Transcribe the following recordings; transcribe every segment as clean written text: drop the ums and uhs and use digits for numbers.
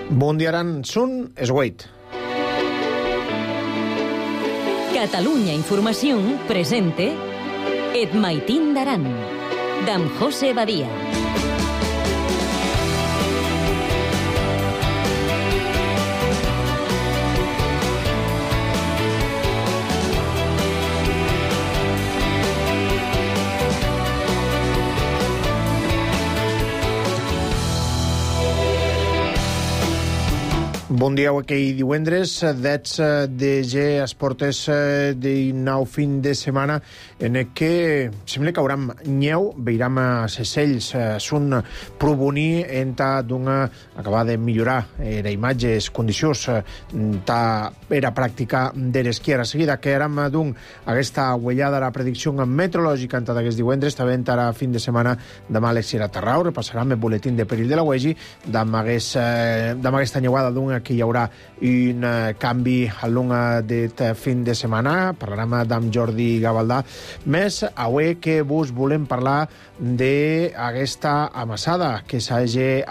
Bon dia, Aran. Sun Esgueit. Catalunya Informació presente Et Maitín d'Aran, d'en José Badia. Bon dia, aquell divendres, dets de esportes de nou fin de setmana en què sembla que hauram nyeu, veiram a Sesells, sun proboní enta d'una acabar de millorar era imatge, les condicions ta era pràctica de l'esquiera. Seguida que érem d'un aquesta huellada la predicció meteorològica enta d'aquest divendres, també enta fin de setmana demà a l'Exira Terrau, repassarem el boletín de perill de la UEGI, damb aquesta nyeuada d'un que hi haurà un canvi al long d'aquest fin de setmana. Parlarem amb Jordi Gavaldà. Més avui que vos volem parlar d'aquesta amassada que s'hagi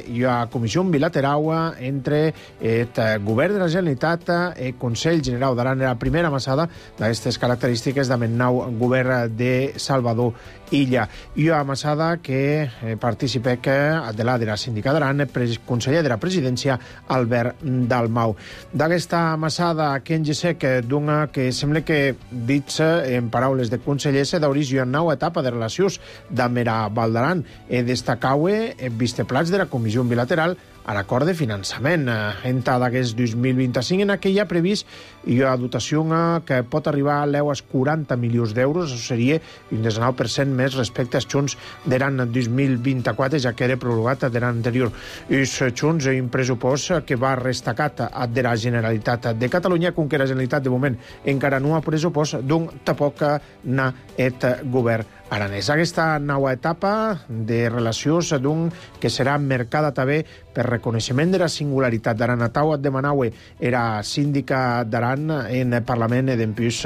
i a comissió bilateral entre el govern de la Generalitat i el Consell General d'Aran. Era la primera amassada d'aquestes característiques del nou govern de Salvador Illa. I una amassada que participa de la sindicat d'Aran, el conseller de la presidència, Albert Dalmau. D'aquesta amassada que en gesec d'una que sembla que, dits en paraules de conseller, se d'oris una nova etapa de relacions amb la Val d'Aran. Destacau el visteplats de la comissió bilateral a l'acord de finançament. Enta d'aquest 2025 en aquella previst hi ha dotació que pot arribar a l'eus 40 milions d'euros. Això seria un 19% més respecte als junts d'Aran 2024, ja que era prorrogat de l'any anterior. És junts un pressupost que va restacat de la Generalitat de Catalunya, com que la Generalitat de moment encara no ha pressupost, d'un tampoc n'ha et govern aranès. Aquesta nova etapa de relacions d'un que serà mercada també per reconeixement de la singularitat d'Aran. Atau et demanaue era síndica d'Aran en el Parlament i d'empús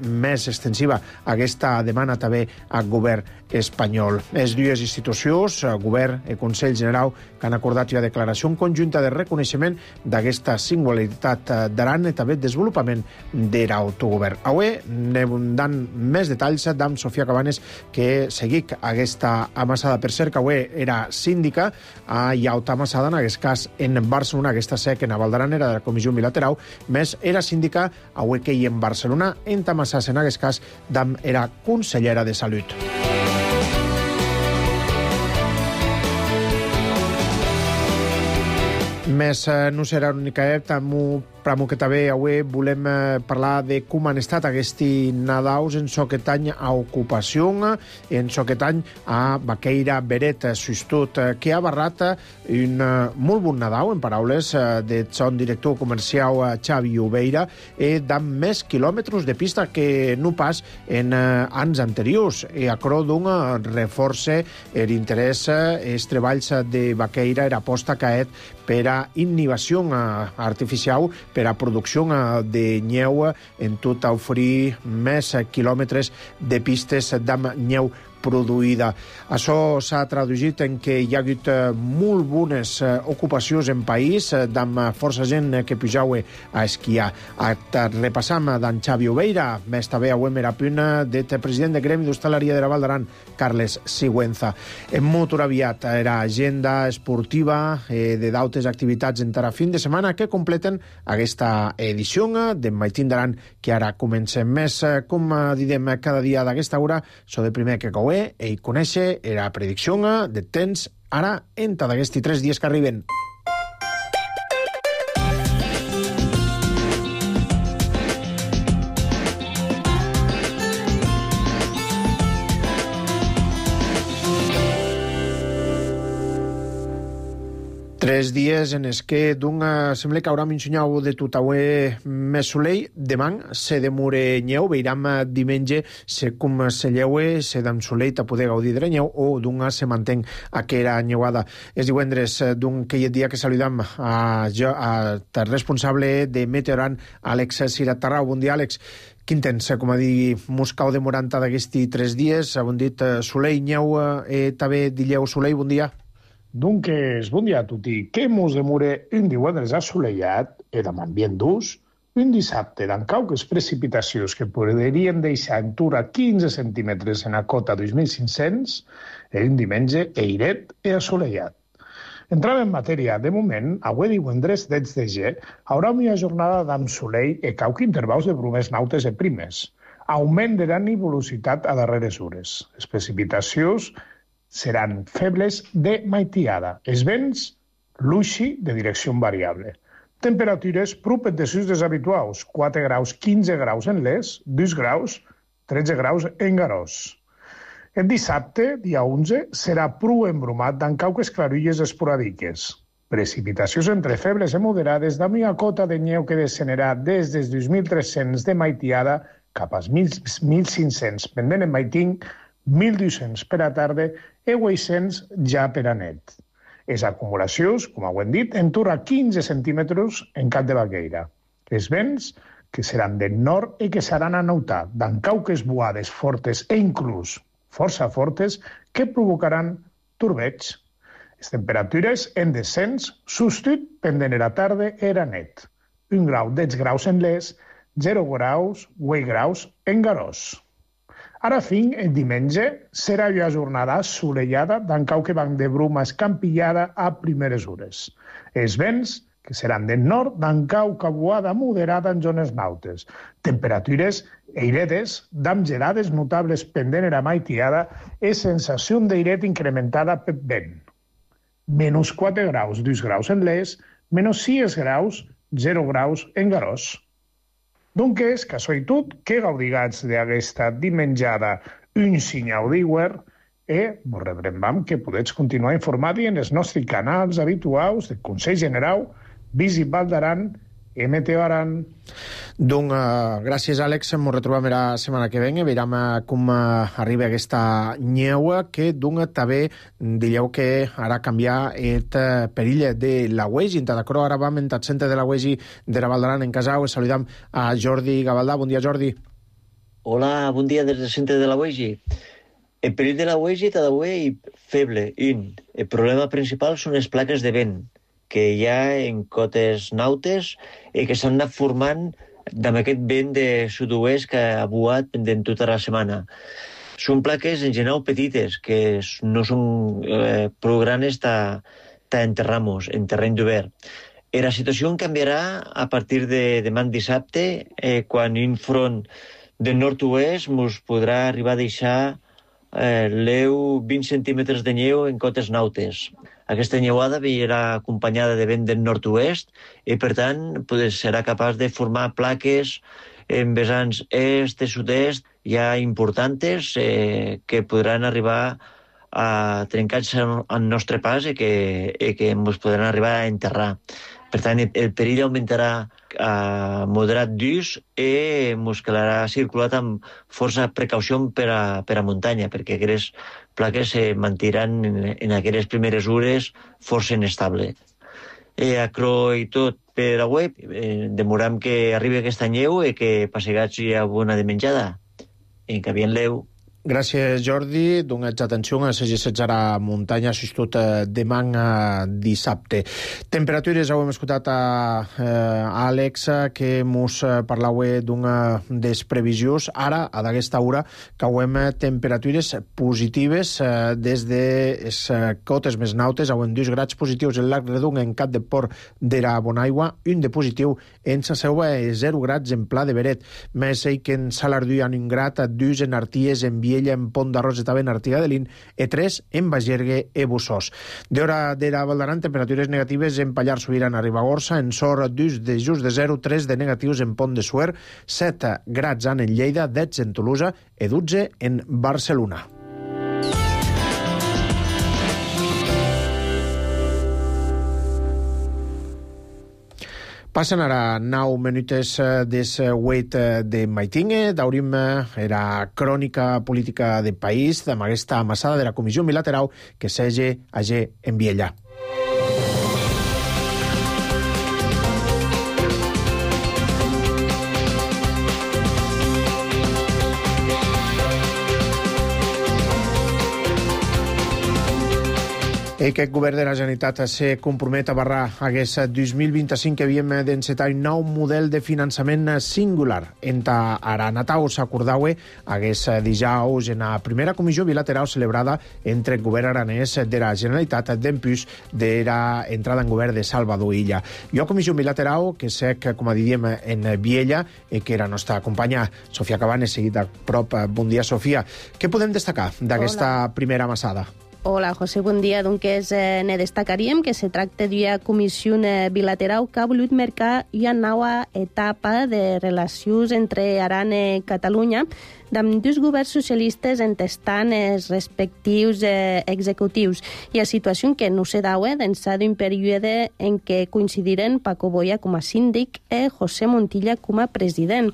més extensiva aquesta demana també al govern espanyol. Les dues institucions, govern i Consell General, que han acordat una declaració conjunta de reconeixement d'aquesta singularitat d'Aran i també desenvolupament de l'autogovern. Avui anem dant més detalls d'en Sofia Cabanes, que seguic aquesta amassada. Per cert, que avui era síndica i alta amassada, en aquest cas en Barcelona, aquesta sec en Val d'Aran era de la comissió bilateral, més era síndica avui que hi en Barcelona, en Tamassas, en aquest cas, era consellera de Salut. Més no serà l'única però que també avui volem parlar de com han estat aquests Nadaus en soquet any a ocupació, en soquet any a Baqueira Beret, Sustut, que ha barrat un molt bon Nadau, en paraules de son director comercial Xavi Obeira, d'amb més quilòmetres de pista que no pas en anys anteriors. I a cro d'un reforça l'interès, els treballs de Baqueira, era aposta caet per a innovació artificial, per a producció de neu, en tot a oferir més quilòmetres de pistes d'amb neu produïda. Això s'ha traduït en que hi ha hagut molt bones ocupacions en país, d'amb força gent que pujau a esquiar. Repassam d'en Xavi Obeira, més també avui era punt del president del Gremi d'Hostaleria de la Val d'Aran, Carles Sigüenza. Molt aviat era agenda esportiva de d'altres activitats en a fin de setmana que completen aquesta edició d'en Maitín d'Aran, que ara comencem més, com didem cada dia d'aquesta hora, so de primer que i conèixer la predicció de temps ara enta d'aquests 3 dies que arriben. Tres dies en els que sembla que haurà un senyal de tot avui més solell. Demà se demure nyeu, veiram diumenge com se lleue, se d'en solell a poder gaudir de la nyeu o se mantén aquella nyeuada. És divendres aquell dia que saludam al responsable de Meteoran, Àlex Siratarrau. Bon dia, Àlex. Quin temps, com a dir, Moscau de Moranta d'aquests 3 dies? Bon dit, solell, nyeu, també dilleu solell, bon dia. Dunque, bon dia a tutti. Che mos demure un divendres assolellat e amb ambient d'ús, un dissabte d'en cauques precipitacions que podrien deixar en tura 15 centímetres en la cota 2.500 e un diumenge eiret e assolellat. Entrant en matèria, de moment, avui divendres 10 de gener, haurà una jornada d'amp solell e cauc intervals de brumes nautes e primes. Augment de la nebulositat a darreres hores. Les precipitacions seran febles de maitiada. Els vents, luixi de direcció variable. Temperatures prop de sus deshabituals, 4 graus, 15 graus en Les, 2 graus, 13 graus en Garòs. El dissabte, dia 11, serà pru embrumat d'en cauques clarulles esporàdiques. Precipitacions entre febles i moderades d'amb una cota de neu que descenderà des dels 2.300 de maitiada cap als 1.500 pendent en maiting, 1.200 per a tarda i 800 ja per a net. Les acumulacions, com ho hem dit, entorn a 15 centímetres en cap de Baqueira. Els vents, que seran del nord i que seran a notar, d'en cauques boades fortes e inclús força fortes que provocaran torbeig. Les temperatures en descens, substitut pendent a la tarda era net. 1 grau, 10 graus en Les, 0 graus, 8 graus en Garòs. Ara fin, el diumenge, serà una jornada assolellada d'en cauque banc de bruma escampillada a primeres hores. Els vents, que seran del nord, d'en cauca boada moderada en zones nautes. Temperatures eiredes, d'amb gelades notables pendent a maitiada i sensació d'eiret incrementada per vent. Menys 4 graus, 2 graus en Les, menys 6 graus, 0 graus en Garòs. Doncs, que això i tot, que gaudigats d'aquesta dimenjada un senyal d'iguer i vos rebrembam que podeu continuar informant-hi en els nostres canals habituals de Consell General, Visit Val d'Aran i Meteo Aran. Doncs gràcies, Àlex. Ens retrobem la setmana que ve. Veurem com arriba aquesta neu que també dieu que ara canviar el perill de la UEGI. D'acord, ara vam en el centre de la UEGI de la Val d'Aran en Casau. Saludam a Jordi Gavaldà. Bon dia, Jordi. Hola, bon dia des del centre de la UEGI. El perill de la UEGI està d'avui feble. El problema principal són les plaques de vent que hi ha en cotes nautes i que s'han anat formant amb aquest vent de sud-oest que ha buat pendent tota la setmana. Són plaques en general petites, que no són prou grans enterrar-nos en terreny d'obert. La situació canviarà a partir de demà dissabte, quan un front del nord-oest ens podrà arribar a deixar 20 centímetres de neu en cotes nautes. Aquesta neuada vindrà acompanyada de vent del nord-oest i, per tant, serà capaç de formar plaques en vessants est i sud-est ja importants que podran arribar a trencar-se al nostre pas i que ens podran arribar a enterrar. Per tant, el perill augmentarà a moderat d'ús i ens quedarà circulat amb força precaució per a muntanya, perquè aquestes plaques se mantindran en aquelles primeres hores força inestable. Acro i tot per a web, demoram que arribi aquesta neu i que passegats hi ha bona de menjada. Encaviant-leu. Gràcies, Jordi. Donats atenció a les a la muntanya, sobretot demà dissabte. Temperatures, heu escoltat a Àlex, que mos parlava dels previsions. Ara, a d'aquesta hora, cauem temperatures positives des de les cotes més nautes. Hauem 2 grads positius en Lac Redung, en Cap de Port de la Bonaigua, un de positiu en Sa Selva i 0 grads en Pla de Beret. Més que en Salardú hi ha 1 grad, 2 en Arties, en Viella, en Pont d'Arròs estava en Artigadelín i 3 en Bagergue i Bussós. D'hora de la Val d'Aran, temperatures negatives en Pallars Sobirà, en Ribagorça, en Sor, 2 de just de 0, 3 de negatius en Pont de Suert, 7 grads en Lleida, 10 en Tolosa i 12 en Barcelona. Passen ara 9 minuts des 8 de maitinge. Daurim era crònica política de país amb aquesta amassada de la Comissió Bilateral que s'hagi en Viella. I aquest govern de la Generalitat se compromet a barrar aquest 2025 que havíem d'encetar un nou model de finançament singular. Enta Aranatau s'acordaue aquest dijous en la primera comissió bilateral celebrada entre el govern aranès de la Generalitat d'empús de la entrada en govern de Salvador Illa. I una comissió bilateral que sec, com diríem, en Viella, que era la nostra companya Sofia Cabanes, seguida a prop. Bon dia, Sofia. Què podem destacar d'aquesta primera amassada? Hola, José, bon dia. Doncs ne destacaríem que se tracta d'una comissió bilateral que ha volut marcar una nova etapa de relacions entre Aran i Catalunya amb dos governs socialistes entestant els respectius executius. I la situació que no se daue d'ençà d'un període en què coincidiren Paco Boya com a síndic i José Montilla com a president.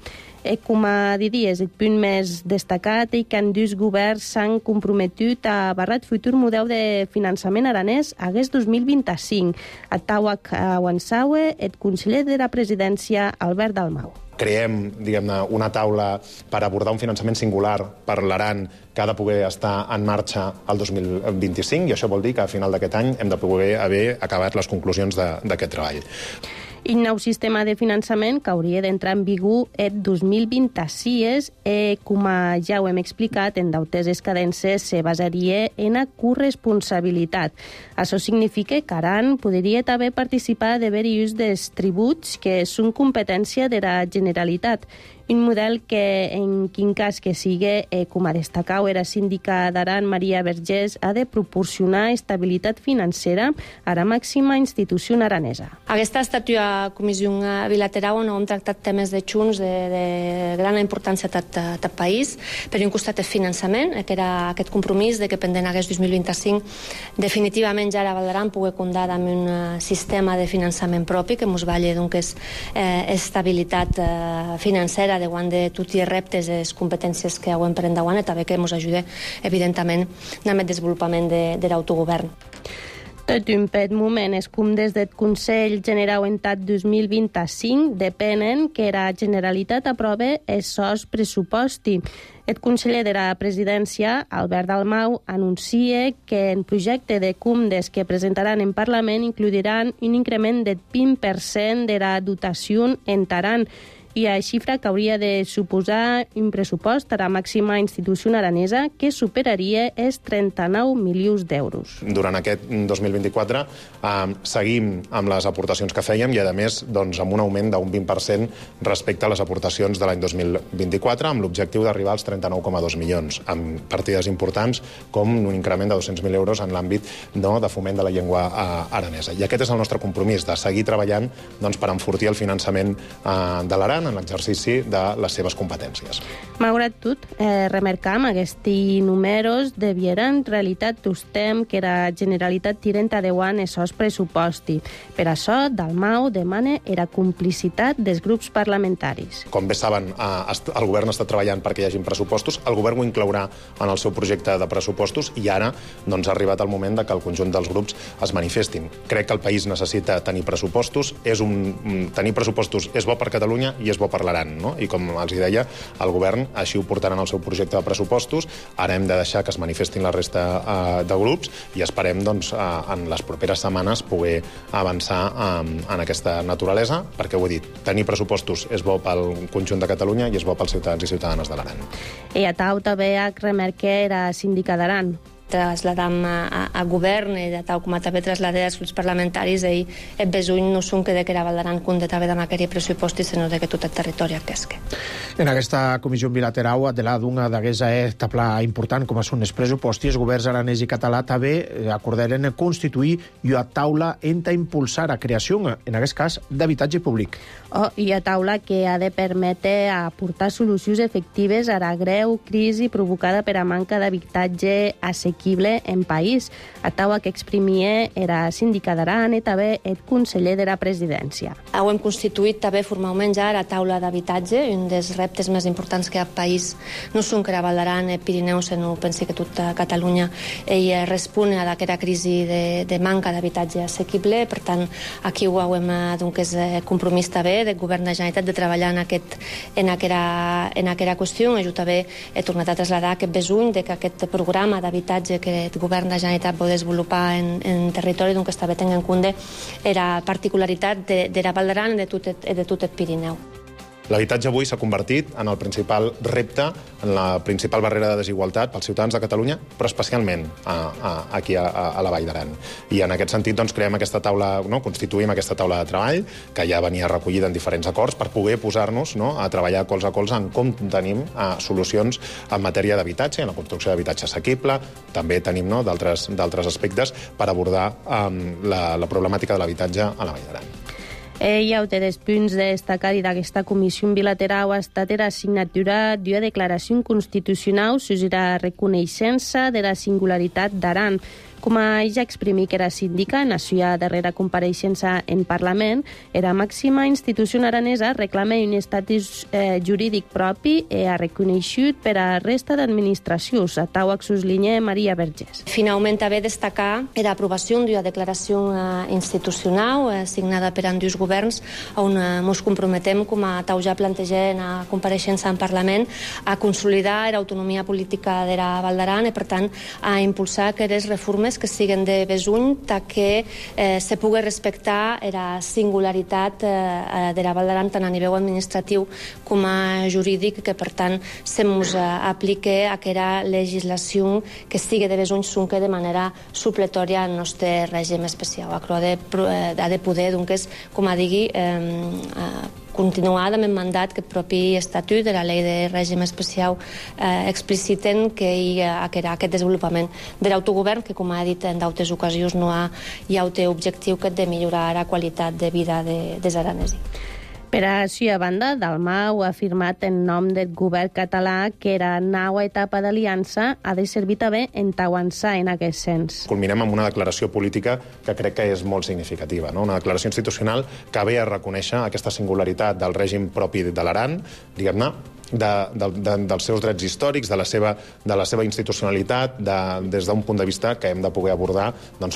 Com a diries, el punt més destacat és que dos governs s'han comprometut a barrar el futur model de finançament aranès hagués 2025. A Tauac Awansawe, el conseller de la presidència, Albert Dalmau. Creem, diguem-ne, una taula per abordar un finançament singular per l'Aran que ha de poder estar en marxa el 2025, i això vol dir que a final d'aquest any hem de poder haver acabat les conclusions d'aquest treball. El nou sistema de finançament que hauria d'entrar en vigor el 2026 i, com ja ho hem explicat, en deutes escadences se basaria en la corresponsabilitat. Això significa que Aran podria també participar de diversos dels tributs que són competència de la Generalitat. Un model que, en quin cas que sigui, com a destacau era síndica d'Aran, Maria Vergés, ha de proporcionar estabilitat financera a la màxima institució aranesa. Aquesta ha estat una comissió bilateral on hem tractat temes de junts de gran importància a tot país. Per un costat el finançament, que era aquest compromís de que pendent hagués 2025 definitivament ja la Val d'Aran pugui comptar amb un sistema de finançament propi que ens valli estabilitat financera davant de tots els reptes i les competències que hem per endavant i també que ens ajuda, evidentment, amb el desenvolupament de l'autogovern. Tot un pet moment és com des del Consell General Entat 2025 depenen que la Generalitat aprove el sos pressuposti. El conseller de la presidència, Albert Dalmau, anuncia que el projecte de CUMDES que presentaran en Parlament incluiran un increment del 20% de la dotació en Aran, i la xifra que hauria de suposar un pressupost a la màxima institució aranesa que superaria els 39 milions d'euros. Durant aquest 2024 seguim amb les aportacions que fèiem i, a més, amb un augment d'un 20% respecte a les aportacions de l'any 2024, amb l'objectiu d'arribar als 39,2 milions, amb partides importants com un increment de 200.000 euros en l'àmbit de foment de la llengua aranesa. I aquest és el nostre compromís, de seguir treballant per enfortir el finançament de l'Aran en l'exercici de les seves competències. Malgrat tot, remarcam aquests números devieran realitat tostem que la Generalitat tirent adeuant els seus pressuposti. Per això, Dalmau demana la complicitat dels grups parlamentaris. Com bé saben, el govern està treballant perquè hi hagi pressupostos, el govern ho inclourà en el seu projecte de pressupostos i ara ha arribat el moment que el conjunt dels grups es manifestin. Crec que el país necessita tenir pressupostos, tenir pressupostos és bo per Catalunya i és bo per l'Aran, no? I com els deia, el govern així ho portarà en el seu projecte de pressupostos. Ara hem de deixar que es manifestin la resta de grups i esperem, en les properes setmanes poder avançar en aquesta naturalesa, perquè ho he dit, tenir pressupostos és bo pel conjunt de Catalunya i és bo pels ciutadans i ciutadanes de l'Aran. I a Tau també remarca era síndica d'Aran. Trasladam a govern i tal com també traslladé als grups parlamentaris i el besuny no són que la Val d'Aran compte també amb aquest pressupost sinó que tot el territori aquesque. En aquesta comissió bilateral de l'ADUNA d'aquesta etapa important com són els pressupostos, els governs aranès i català també acordaren constituir una taula enta impulsar la creació, en aquest cas, d'habitatge públic. I una taula que ha de permetre aportar solucions efectives a la greu crisi provocada per a manca d'habitatge assequible en país. A taula que exprimia era síndica d'Aran i també el conseller de la presidència. Ho hem constituït també formalment ja la taula d'habitatge, un dels reptes més importants que hi ha al país. No són que la Val d'Aran, el Pirineu, sinó pensi que tota Catalunya respon a aquesta crisi de manca d'habitatge assequible. Per tant, aquí ho hem compromís també del govern de la Generalitat de treballar en aquesta qüestió. Jo també he tornat a traslladar aquest besuny de que aquest programa d'habitatge habitatge que el govern de la Generalitat pot desenvolupar en territori, doncs també tenint en compte la particularitat de la Val d'Aran i de tot el Pirineu. L'habitatge avui s'ha convertit en el principal repte, en la principal barrera de desigualtat pels ciutadans de Catalunya, però especialment aquí a la Vall d'Aran. I en aquest sentit doncs, creem aquesta taula, constituïm aquesta taula de treball, que ja venia recollida en diferents acords, per poder posar-nos a treballar colze a colze en com tenim solucions en matèria d'habitatge, en la construcció d'habitatge assequible. També tenim d'altres aspectes per abordar la problemàtica de l'habitatge a la Vall d'Aran. Hi ha dels punts de destacar d'aquesta comissió bilateral ha estat la signatura d'una declaració constitucional sobre la reconeixença de la singularitat d'Aran. Com ja exprimí que era síndica en la seva darrera compareixença en Parlament, la màxima institució aranesa reclama un estatus jurídic propi i ha reconegut per a la resta d'administracions. A tau exuslinha Maria Vergés. Finalment, també destacar l'aprovació d'una declaració institucional signada per ambdós governs on ens comprometem, com a tau ja planteja en la compareixença en Parlament, a consolidar l'autonomia política de la Val d'Aran i, per tant, a impulsar aquelles reformes que siguen de besuny que se pugui respectar la singularitat de la Val d'Aran tant a nivell administratiu com a jurídic, que per tant se mos aplique aquella legislació que sigui de besuny sunque de manera supletòria al nostre règim especial. Ha de poder, doncs, com a digui, continuar amb el mandat que el propi estatut de la llei de règim especial expliciten que hi ha aquest desenvolupament de l'autogovern que, com ha dit en d'altres ocasions, no hi ha objectiu que de millorar la qualitat de vida dels aranesos. Per a la banda, Dalmau ha afirmat en nom del govern català que la nova etapa d'aliança ha de servir també en avançar en aquest sens. Culminem amb una declaració política que crec que és molt significativa, una declaració institucional que ve a reconèixer aquesta singularitat del règim propi de l'Aran, diguem-ne, dels seus drets històrics, de la seva institucionalitat, des d'un punt de vista que hem de poder abordar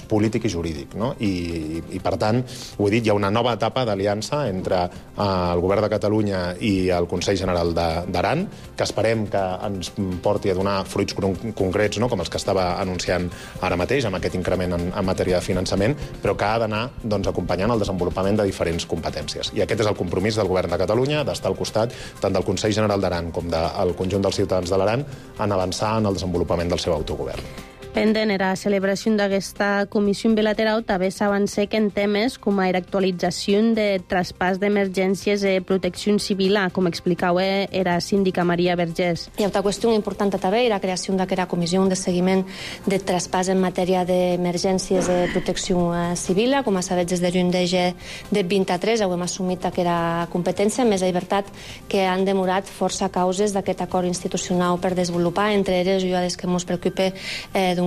polític i jurídic. I, per tant, ho he dit, hi ha una nova etapa d'aliança entre el govern de Catalunya i el Consell General d'Aran, que esperem que ens porti a donar fruits concrets, com els que estava anunciant ara mateix, amb aquest increment en matèria de finançament, però que ha d'anar acompanyant el desenvolupament de diferents competències. I aquest és el compromís del govern de Catalunya, d'estar al costat tant del Consell General d'Aran com del conjunt dels ciutadans de l'Aran en avançar en el desenvolupament del seu autogovern. Pendent era la celebració d'aquesta comissió bilateral, també s'avancé que en temes com l'actualització de traspàs d'emergències i protecció civil, com explicava era síndica Maria Vergés. Hi ha una qüestió important també, la creació d'aquesta comissió de seguiment de traspàs en matèria d'emergències de protecció civil. Com a sabeu, des de juny de 23 hem assumit aquesta competència, més és veritat que han demorat força causes d'aquest acord institucional per desenvolupar, entre elles i les que ens preocupa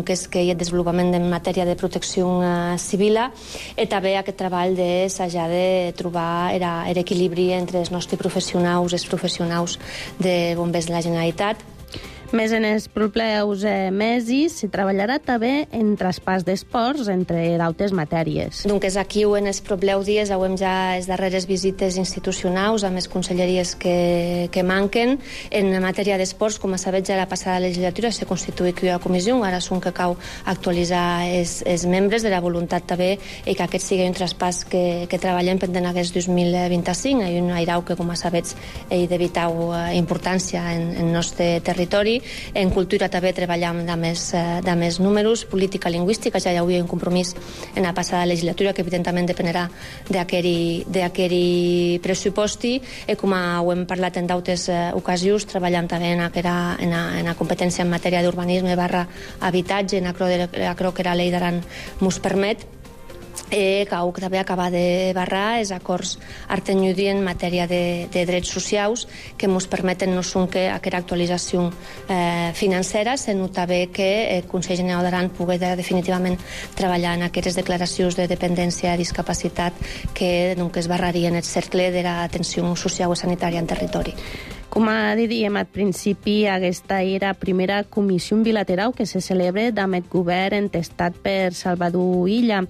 és que hi ha desenvolupament en matèria de protecció civil i també aquest treball de s'haja de trobar l'equilibri entre els nostres professionals i els professionals de bombers de la Generalitat. Més en els propers mesos s'hi treballarà també en traspàs d'esports, entre d'altres matèries. Donc aquí en els propers dies hem ja les darreres visites institucionals amb les conselleries que manquen. En matèria d'esports, com sabeu, ja la passada legislatura se constituït una comissió, ara són que cal actualitzar els membres de la voluntat també i que aquest sigui un traspàs que treballem pendent aquest 2025. Hi ha un airau que, com sabeu, és de vital importància en el nostre territori. En cultura també treballem de més números, política lingüística, ja hi havia un compromís en la passada legislatura que evidentment dependerà d'aquell pressuposti i com ho hem parlat en d'altres ocasions, treballem també en la competència en matèria d'urbanisme / habitatge, en acro que la llei d'Aran mos permet, que també acaba de barrar els acords artenyudi en matèria de drets socials que ens permeten no són que aquesta actualització financera, sinó també que el Consell General d'Aran pugui definitivament treballar en aquestes declaracions de dependència i discapacitat que es barrarien el cercle de l'atenció social i sanitària en territori. Com dèiem al principi, aquesta era la primera comissió bilateral que se celebra amb el govern entestat per Salvador Illa.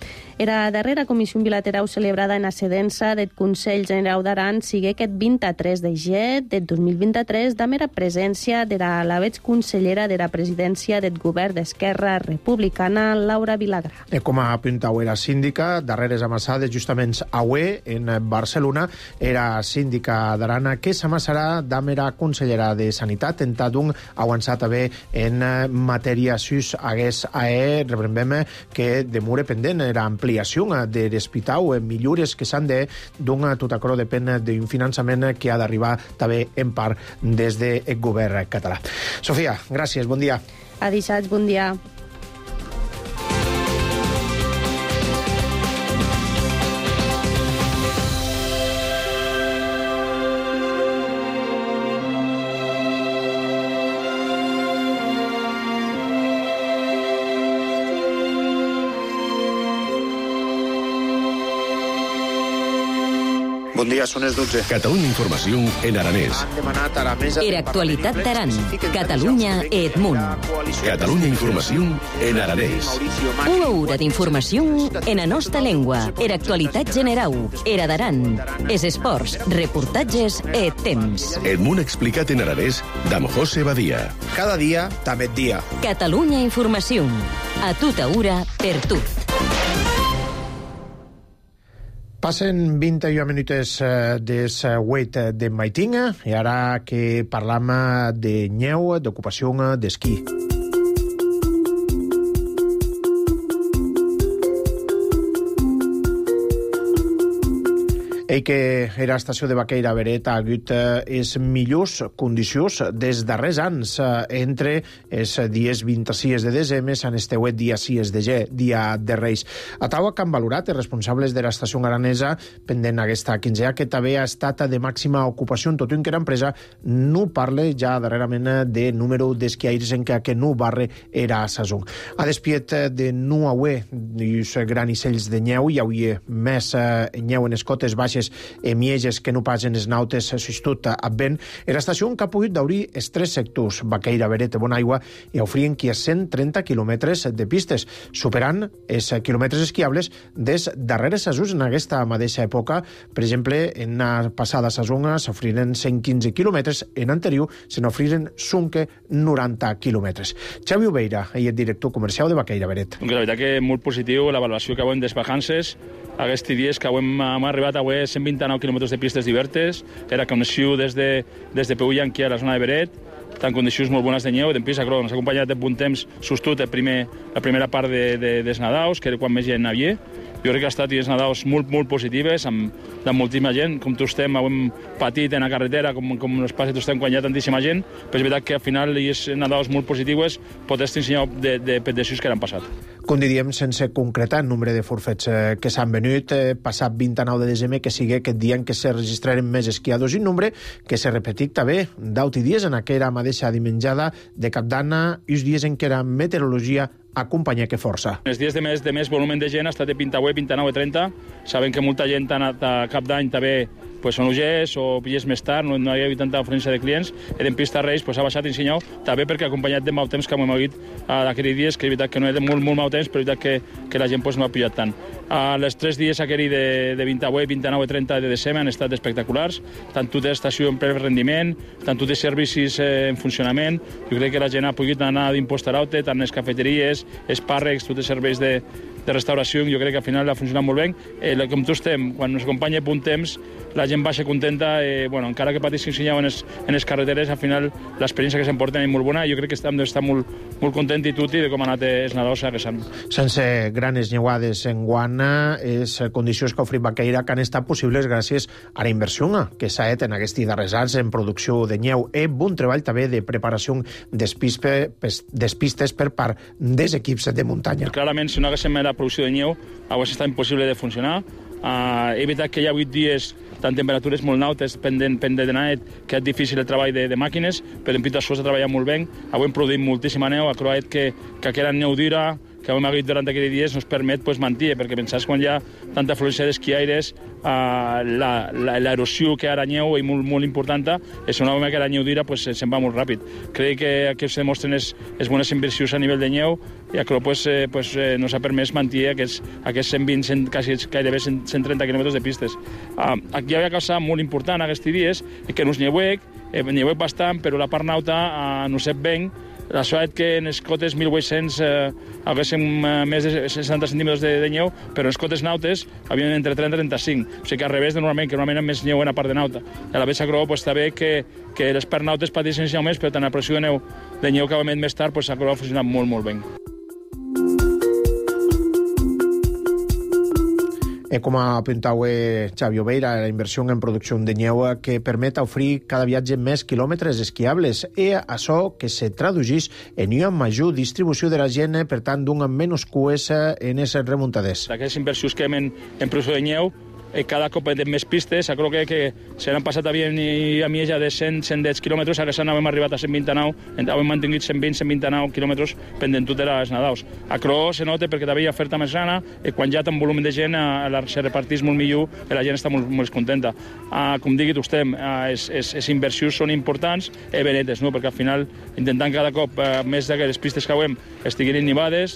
Era la darrera comissió bilateral celebrada en ascedença del Consell General d'Aran sigue aquest 23 de gener del 2023 amb la presència de la consellera de la presidència del govern d'Esquerra Republicana, Laura Vilagrà. Com a apuntau era síndica, darreres amassades justament avui en Barcelona, era síndica d'Arana que s'amassarà amb la consellera de Sanitat, en tant avançat també en matèria sus hagués rebrembem que demora pendent la ampliació de l'hospital, millores que s'han de donar tot això depèn d'un finançament que ha d'arribar també en part des del govern català. Sofia, gràcies, bon dia. Adisats, bon dia. Bon dia, són les 12. Catalunya Informació en aranès. Han demanat a la mesa... Era actualitat d'Aran, Catalunya i Edmunt. Catalunya Informació en aranès. Una hora d'informació en la nostra llengua. Era actualitat general. Era d'Aran. Es esports, reportatges i temps. Edmunt explicat en aranès d'amb José Badia. Cada dia, també dia. Catalunya Informació. A tota hora, per tu. Passen 21 minuts des 8 de maitinga i ara que parlam de neu, d'ocupació d'esquí. Ei que era estació de Baqueira Beret ha hagut les millors condicions des darrers anys entre els dies 26 de desembre en esteuet dia 6 de gener, dia de Reis. A taua que han valorat els responsables de l'estació aranesa pendent aquesta quinzena que també ha estat de màxima ocupació en tot un que l'empresa no parla ja darrerament de número d'esquiaires en què no barre era a sazón. A despiet de no haver els granissells de neu hi hauria més neu en les cotes baixes mieges que no pas en els nautes substitut a vent, l'estació que ha pogut d'obrir els tres sectors, Baqueira, Beret i Bonaigua, i ofrien qui a 130 quilòmetres de pistes, superant els quilòmetres esquiables des darreres sazons en aquesta mateixa època. Per exemple, en la passada sazona s'ofriren 115 quilòmetres, en anterior se n'ofriren 90 quilòmetres. Xavi Obeira, ell és director comercial de Baqueira, Beret. La veritat que molt positiu l'avaluació que hem des vacances. Aquests dies que hem arribat a 129 quilòmetres de pistes diverses, era connexió des de Peull-Yanqui a la zona de Beret, en condicions molt bones de neu, i d'empís ens ha acompanyat de bon temps sostut la primera part dels Nadaus, que era quan més gent havia. Jo crec que ha estat dies Nadaus molt positives, amb moltíssima gent, com tots estem, hem patit en la carretera, com ens passa tots estem quan hi ha tantíssima gent, però és veritat que al final hi ha Nadaus molt positives, pot estar ensenyat de peticions que han passat. Com diríem, sense concretar el nombre de forfets que s'han venut, passat 29 de desembre, que sigui aquest dia en què se registraren més esquiadors i un nombre que se repetit també d'auti dies en aquella mateixa dimenjada de Cap d'Anna i els dies en què la meteorologia acompanya que força. Els dies de més volumen de gent ha estat de 28, 29 i 30. Sabem que molta gent a Cap d'Any també són UGs o pilles més tard, no hi ha hagut tanta afluència de clients, i en pista Reis ha baixat en senyal, també perquè ha acompanyat de mal temps que hem hagut d'aquells dies, que és veritat que no era molt mal temps, però és veritat que la gent no ha pillat tant. Els 3 dies aquells de 28, 29 i 30 de desembre han estat espectaculars, tant tota l'estació en ple rendiment, tant tots els servicis en funcionament. Jo crec que la gent ha pogut anar d'impost-araute, tant les cafeteries, els pàrrecs, tots els serveis de restauració, jo crec que al final ha funcionat molt bé. Com tots estem, quan ens acompanya bon temps, la gent baixa contenta, encara que patissin en les carreteres, al final l'experiència que s'emporten és molt bona, i jo crec que hem d'estar molt contents i tutti de com ha anat els Nadaus a Guessant. Sense granes neuades en guana, les condicions que ha ofrit Baqueira que han estat possibles gràcies a la inversió que s'ha fet en aquests darrers anys en producció de neu i bon treball també de preparació des pistes per part dels equips de muntanya. Clarament, si no haguéssim la producció de neu, hauria estat impossible de funcionar. És veritat que hi ha 8 dies tant temperatures molt altes pendent de net, que és difícil el treball de màquines, però en Pitas Sosa ha treballat molt bé. Avui hem produït moltíssima neu, ha creat que aquella neu dura, que hem hagut durant aquests dies ens permet mantenir, perquè pensar quan hi ha tanta afluència d'esquiaires, l'erosió que ara neu és molt important, és una vegada que la neu dura se'n va molt ràpid. Crec que aquí es demostren les bones inversions a nivell de neu i això ens ha permès mantenir aquests 120, gairebé 130 quilòmetres de pistes. Aquí hi havia cosa molt important aquests dies, que no és neuec bastant, però la part nauta no sap ben. La sort que en les cotes 1800 haguéssim més de 60 centímetres de neu, però en les cotes nautes havien entre 30 i 35. O sigui que al revés de normalment, que normalment hi ha més neu en la part de nauta. A la vegada s'acrò està bé que les parts nautes pateixen més, però tant la pressió de neu que ha venit més tard s'acrò ha funcionat molt bé. Com apuntava Xavi Obeira, la inversió en producció de neu que permet oferir cada viatge més quilòmetres esquiables i això que se traduís en una major distribució de la gent, per tant, d'un menys cues en les remuntades. Aquestes inversions que hem en producció de neu, cada cop hem més pistes, crec que se n'han passat a mi ja de 110 quilòmetres, ara hem arribat a 129, hem mantingut 120-129 quilòmetres pendent tot de les nadaus. Això se nota perquè també hi ha oferta més grana, i quan hi ha tant volum de gent se reparteix molt millor i la gent està molt contenta. Com digui vostè, les inversions són importants i benetes, perquè al final intentant cada cop més d'aquestes pistes que hem estiguin innivades,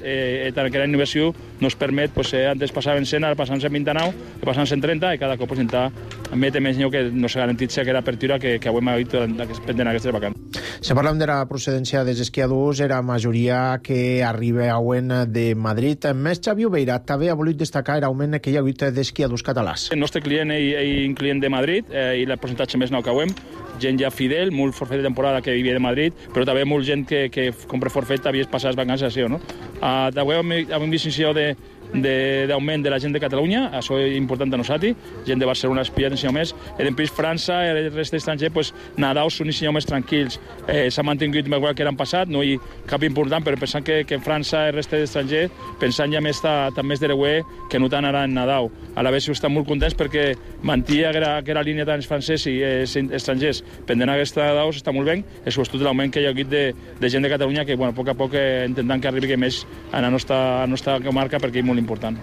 tant que la innovació ens permet, antes passaven 100, ara passant 129, i passant 130, i cada cop intentar emetre més neu que no s'ha garantit aquesta apertura que hem hagut pendent aquestes vacances. Si parlem de la procedència dels esquiadors, era majoria que arribaven de Madrid. Més Xavi Obeira també ha volut destacar l'augment que hi ha hagut d'esquiadors catalans. El nostre client és un client de Madrid i el percentatge més nou que hem, gent ja fidel, molt forfet de temporada que vivia de Madrid, però també molt gent que compra forfet havia passat les vacances així, no? També hem vist d'augment de la gent de Catalunya, això és important de nosaltres, gent de Barcelona espia ensenyar més, i després França i el rest d'estranger, nadaus són ensenyar més tranquils. S'ha mantingut més que l'any passat, no hi ha cap important, però pensant que en França i el rest d'estranger, pensant ja més de l'EUE que no tant ara en nadau. A la vegada estan molt contents perquè mantia aquella línia tant els francesos i els estrangers pendent aquesta nadaus, està molt bé, i sobretot l'augment que hi ha hagut de gent de Catalunya que, a poc a poc intentant que arribi més a la nostra comarca perquè és molt important.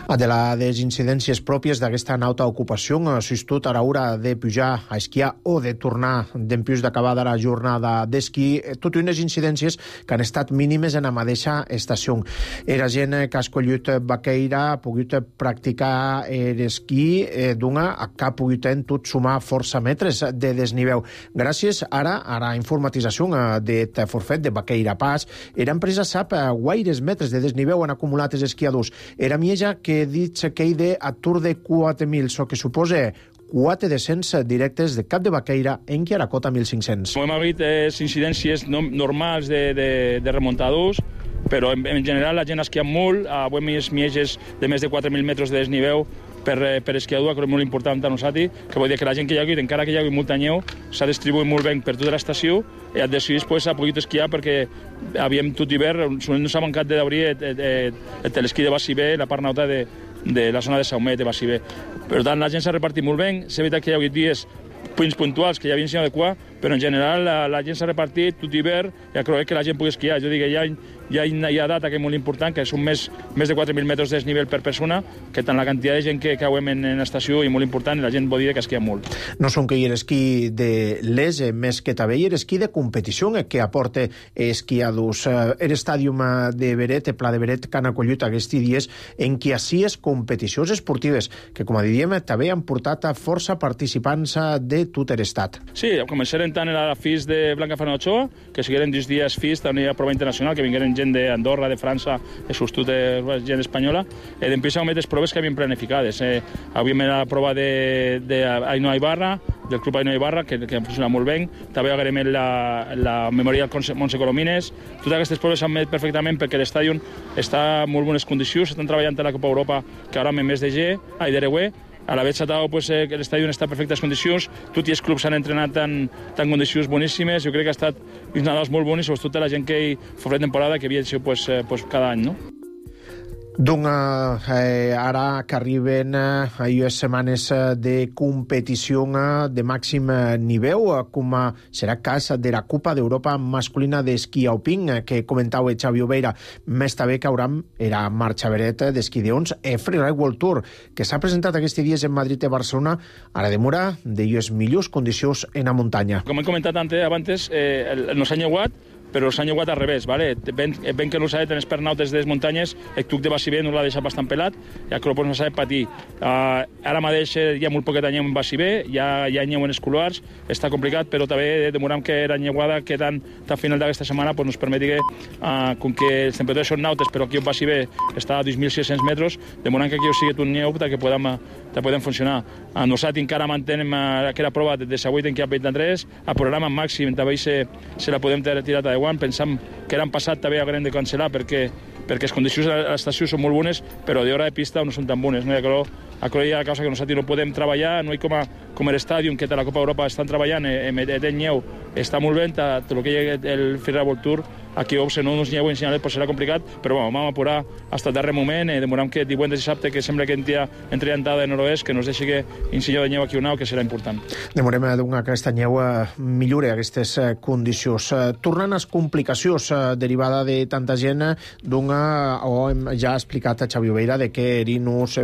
De les incidències pròpies d'aquesta nauta ocupació, s'estut a l'hora de pujar a esquiar o de tornar d'empús d'acabar de la jornada d'esquí, totes unes incidències que han estat mínimes en la mateixa estació. Era gent que ha escollit Baqueira, ha pogut practicar l'esquí d'una que ha pogut en tot sumar força metres de desnivell. Gràcies ara a la informatització d'aquest forfet de Baqueira Pas, l'empresa sap guaires metres de desnivell han acumulat els esquiadors. Era mieja que dit que hi de atur de 4.000, so que suposa 4 descens directes de Cap de Baqueira en Quiaracota 1.500. Hem hagut incidències normals de remuntadors, però en general la gent esquia molt, hem vist mieges de més de 4.000 metres de desnivell per esquiador, que és molt important a nosaltres, que vol dir que la gent que hi ha hagut, encara que hi ha hagut molta neu, s'ha distribuït molt bé per tota l'estació i al decidís ha pogut esquiar perquè havíem tot hivern, no s'ha mancat d'obrir el telesquí de Bassibé, la part nauta de la zona de Saumet, de Bassibé. Per tant, la gent s'ha repartit molt bé, s'ha evitat que hi ha hagut dies punts puntuals que hi havia ensenyat de cua, però en general la gent s'ha repartit tot hivern i crec que la gent pugui esquiar. Jo dic que hi ha data que és molt important, que són més de 4.000 metres de desnivell per persona, que tant la quantitat de gent que cauem en l'estació és molt important i la gent vol dir que esquia molt. No són que hi ha l'esquí de l'ES, més que també hi ha l'esquí de competició que aporta esquiadors. L'estàdium de Beret, el Pla de Beret, que han acollit aquests dies en què així és competicions esportives, que com diríem també han portat a força participants de tot l'estat. Sí, començarem tant a la FIS de Blanca Fernández Ochoa, que sigueren 10 dies FIS, també a prova internacional, que vingueren gent d'Andorra, de França, sobretot gent espanyola, i després hem fet les proves que havíem planificades. Havíem la prova d'Ainoa Ibarra, del Club Ainoa Ibarra, que ha funcionat molt bé. També haguem la Memorial Montse Colomines. Totes aquestes proves s'han fet perfectament perquè l'estadi està en molt bones condicions, estan treballant a la Copa Europa, que ara amb més de d'EUE. A la vegada l'estadi està en perfectes condicions, tots els clubs s'han entrenat en condicions boníssimes, jo crec que ha estat uns Nadals molt bons i sobretot la gent que hi fa temporada que havia sigut cada any, no? Ara que arriben les setmanes de competició de màxim nivell, com serà el cas de la Copa d'Europa masculina d'esquí alpin, que comentava Xavi Obeira. Més també que hauram la marxa vereta d'esquí d'ons Freeride World Tour, que s'ha presentat aquests dies en Madrid i Barcelona, ara demora de les millors condicions en la muntanya. Com he comentat abans, nos han llevat, però s'han llevat al revés, ¿vale? Ben que no s'ha de tenir pernautes de les muntanyes, el tuc de Bassibé no l'ha deixat bastant pelat, ja que no s'ha de patir. Ara mateix hi ha molt poquet anyeu en Bassibé, hi ha anyeu en els couloirs, està complicat, però també demoram que la llevada que tant a final d'aquesta setmana nos permeti que, com que les temperatures són nautes, però aquí en Bassibé està a 2.600 metres, demoram que aquí sigui un neu que podem funcionar. Nosaltres encara mantenem aquella prova de 18 en que hi ha 23, el programa màxim també se la podem tirar a pensam que l'any passat també haurem de cancel·lar perquè les condicions a l'estació són molt bones, però d'hora de pista no són tan bones. Això hi ha la causa que nosaltres no podem treballar, no hi com l'estadi que la Copa d'Europa estan treballant, el nyeu està molt bé, tot el que hi ha el Freeride World Tour, aquí si no ens nyeu en Signalet serà complicat, però vam apurar fins al darrer moment, demoram que divendres i dissabte, que sembla que entri entrada de nord-oest, que no es deixi que insinyeu de nyeu aquí un que serà important. Demorem que aquesta nyeu millore aquestes condicions. Tornant a les complicacions derivada de tanta gent, ja ha explicat a Xavi Obeira que Erinus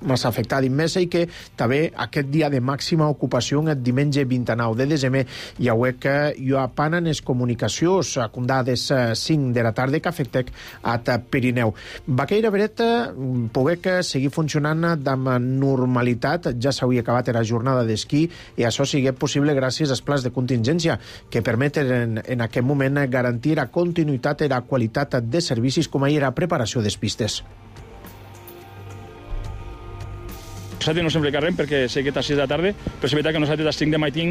massa afectat immesa i que també aquest dia de màxima ocupació el diumenge 29 de desembre hi ha que hi ha pana en les comunicacions acundades 5 de la tarda que afecten a Pirineu. Vaqueira Beret poder que seguir funcionant amb normalitat, ja s'hauria acabat la jornada d'esquí i això sigui possible gràcies als plans de contingència que permeten en aquest moment garantir la continuïtat i la qualitat de servicis com ahir la preparació de pistes. Nosaltres no sempre carrem perquè sé que és a 6 de la tarda, però és veritat que nosaltres a 5 de matí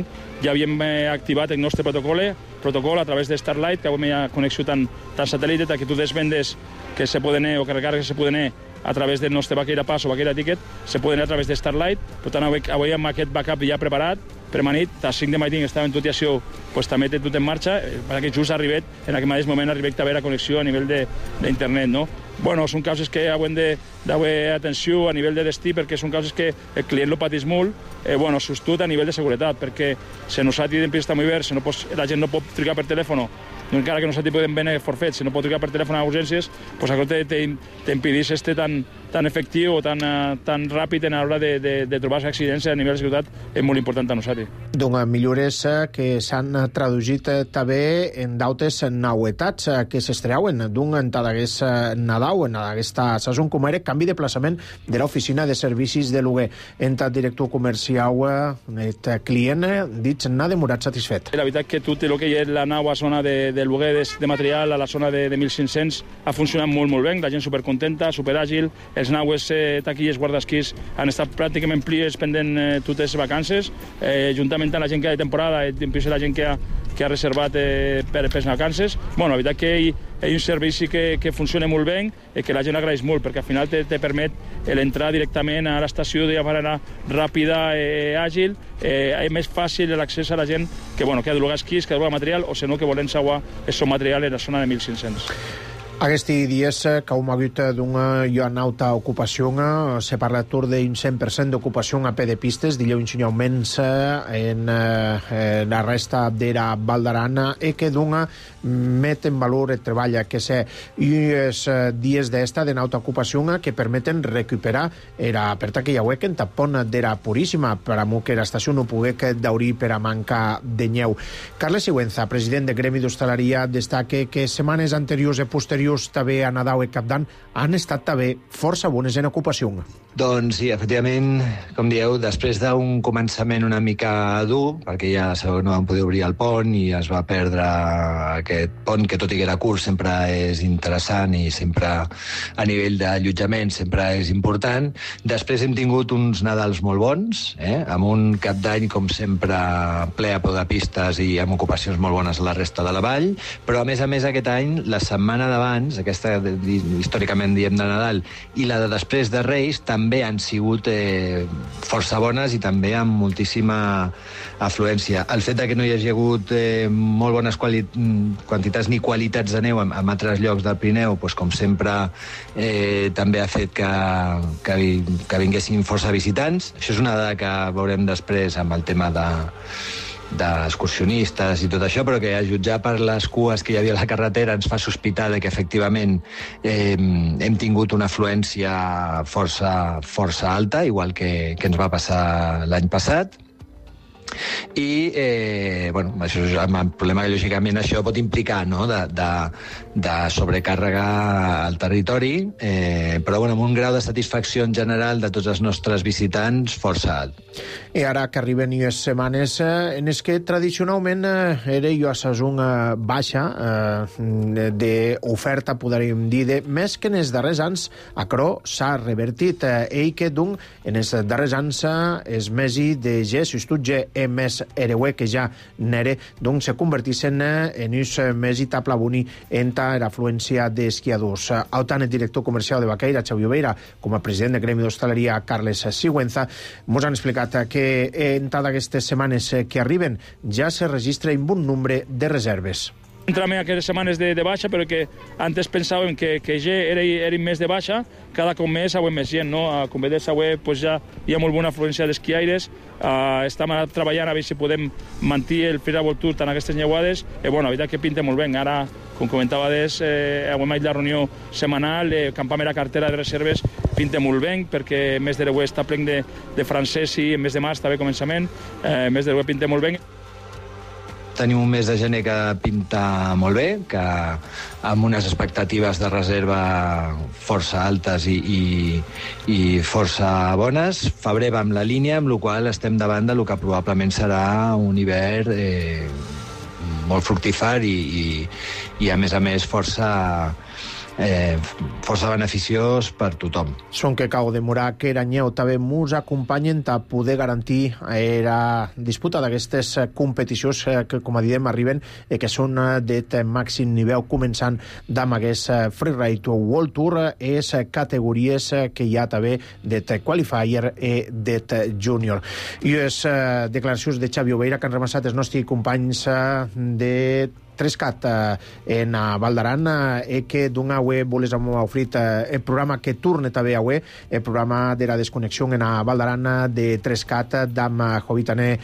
ja havíem activat el nostre protocol a través de Starlight, que avui hi ha connexió tant satèl·lit, que tu desvendes que se poden o que recargues que se poden a través del nostre Vaqueira Pass o Vaqueira Ticket, se poden a través de Starlight. Per tant, avui amb aquest backup ja preparat, permanit, a 5 de matí estava en tot i això, també té tot en marxa, perquè just ha arribat, en aquest mateix moment ha arribat a haver la connexió a nivell d'internet, no? Bueno, són causes que haurem d'haver atenció a nivell de destí, perquè són causes que el client lo pateix molt, sostut a nivell de seguretat, perquè si nosaltres en pista molt bé, la gent no pot trucar per telèfon, encara que nosaltres podem venir forfet, si no pot trucar per telèfon a urgències, això t'impedeix ser tan efectiu o tan ràpid a l'hora de trobar-se accidents a nivell de seguretat, és molt important a nosaltres. Doncs millores que s'han traduït també en d'altres novetats que s'estreuen en tot aquest Nadal, en aquesta saison, com era canvi de plaçament de l'oficina de servicis de lloguer. Entre el director comercial, el client, dit, n'ha demorat satisfet. La veritat que tot el que hi ha la nova zona de lloguer de material a la zona de 1.500 ha funcionat molt bé, la gent supercontenta, superàgil, els naues taquilles guardasquís han estat pràcticament plies pendent totes les vacances, juntament amb la gent que ha de temporada, la gent que ha reservat per les vacances. La veritat que hi ha un servici que funciona molt bé i que la gent agraeix molt, perquè al final te permet l'entrar directament a l'estació de manera ràpida i àgil, és més fàcil l'accés a la gent que ha de llogar esquís, que ha de llogar material, o si no, que volen saber el seu material en la zona de 1.500. Aquests dies que hem hagut d'una alta ocupació, se parla d'un 100% d'ocupació a peu de pistes, dilluns augments en la resta de la Val d'Aran i que dona met en valor el treball que sé els dies d'esta d'alta ocupació que permeten recuperar la aperta que hi ha en tapón de la Puríssima per a que l'estació no pugui d'obrir per a manca de nyeu. Carles Sigüenza, president del Gremi d'Hostaleria, destaca que setmanes anteriors i posteriors també a Nadal i Cap d'Any han estat també força bones en ocupació. Doncs sí, efectivament, com dieu, després d'un començament una mica dur, perquè ja no vam poder obrir el pont i es va perdre aquest pont, que tot i que era curt sempre és interessant i sempre a nivell d'allotjament sempre és important. Després hem tingut uns Nadals molt bons, amb un Cap d'Any, com sempre, ple a peu de pistes i amb ocupacions molt bones a la resta de la vall, però a més aquest any, la setmana d'abans d'abans, aquesta històricament diem de Nadal, i la de després de Reis, també han sigut força bones i també amb moltíssima afluència. El fet que no hi hagi hagut molt bones quantitats ni qualitats de neu en altres llocs del Pirineu, doncs, com sempre, també ha fet que vinguessin força visitants. Això és una dada que veurem després amb el tema d'excursionistes i tot això, però que a jutjar per les cues que hi havia a la carretera ens fa sospitar que efectivament hem tingut una afluència força alta, igual que ens va passar l'any passat. I això és el problema que lògicament això pot implicar, no?, de sobrecàrrega al territori, però amb un grau de satisfacció en general de tots els nostres visitants força alt. I ara que arriben les setmanes en les que tradicionalment era la saison baixa d'oferta, podríem dir, més que en els darrers anys, però s'ha revertit. Que, doncs, en els darrers anys els mesos de ge, si estudge més hereuè que ja n'era, doncs se convertissin en uns mesos taplabuni entre l'afluència d'esquiadors. El tant el director comercial de Baqueira, Xavi Oveira, com a president del Gremi d'Hostaleria, Carles Sigüenza, ens han explicat que entre aquestes setmanes que arriben ja se registra un bon nombre de reserves. Entrem aquestes setmanes de baixa, però que antes pensàvem que ja eren més de baixa, cada cop més avui més gent, no? Com veus, avui ja hi ha molt bona afluència d'esquiaires, estem treballant a veure si podem mantenir el Fira World Tour en aquestes neuades, la veritat que pinta molt bé. Ara, com comentaves, avui la reunió setmanal, campament a cartera de reserves, pinta molt bé, perquè el mes de l'Eué està plen de francès i el mes de març també començament, el mes de l'Eué pinta molt bé. Tenim un mes de gener que pinta molt bé, que amb unes expectatives de reserva força altes i força bones. Febrer va amb la línia, amb la qual estem davant del que probablement serà un hivern molt fructífer i a més força beneficiós per tothom. Són que cau demorar que Eranyeu també mos acompanyen a poder garantir la disputa d'aquestes competicions que, com diem, arriben i que són de màxim nivell, començant amb aquest Freeride World Tour, és categories que hi ha també de qualifier i de júnior. I les declaracions de Xavi Oveira que han remassat els nostres companys de Trescat en Val d'Aran, que d'una web voles ofrit el programa que torna també avui, el programa de la desconnexió en Val d'Aran de Trescat d'am Jovitaner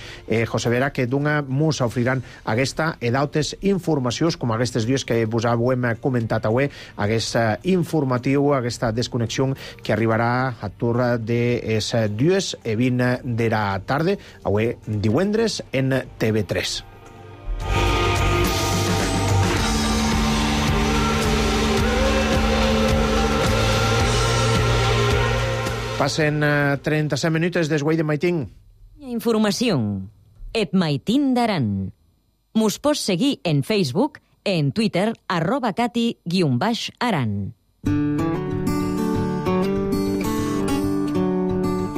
José Vera, que d'una mos ofriran aquesta i d'altres informacions com aquestes dues que vos hem comentat avui, aquest informatiu, aquesta desconnexió que arribarà a torn de les 2:20 de la tarda, avui divendres en TV3. Passen 37 minuts desguai de Maitín. Informació. Et Maitín d'Aran. Mos pots seguir en Facebook, en Twitter, @cati_aran.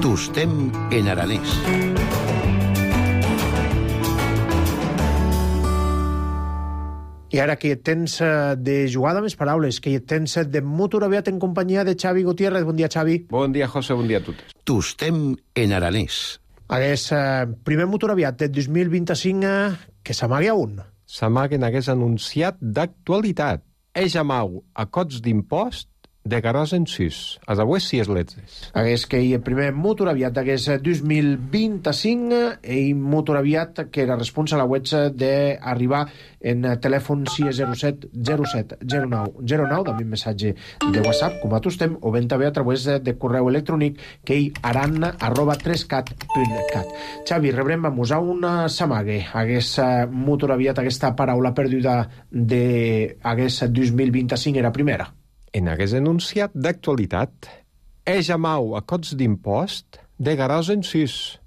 Tostem en aranès. I ara que tens de jugada amb les paraules, que tens de motor aviat en companyia de Xavi Gutiérrez. Bon dia, Xavi. Bon dia, José, bon dia a totes. Tostem en aranès. Aquest primer motor aviat de 2025 que s'amaga un. S'amaga en hagués anunciat d'actualitat. Eix amau a cots d'impost de garòs en sus. A avui sí és letres. Hagués que el primer motor aviat d'aquest 2025 i motor aviat que era responsable web d'arribar en telèfon 607 07 09 09, també un missatge de WhatsApp, com a tostem, o ben també a través de correu electrònic que hi aran@trescat.cat. Xavi, rebrem a musar una samague. Hagués motor aviat aquesta paraula perduda d'hagués 2025 era primera. En hagués anunciat d'actualitat. Eix amau a cots d'impost de garòs en sus.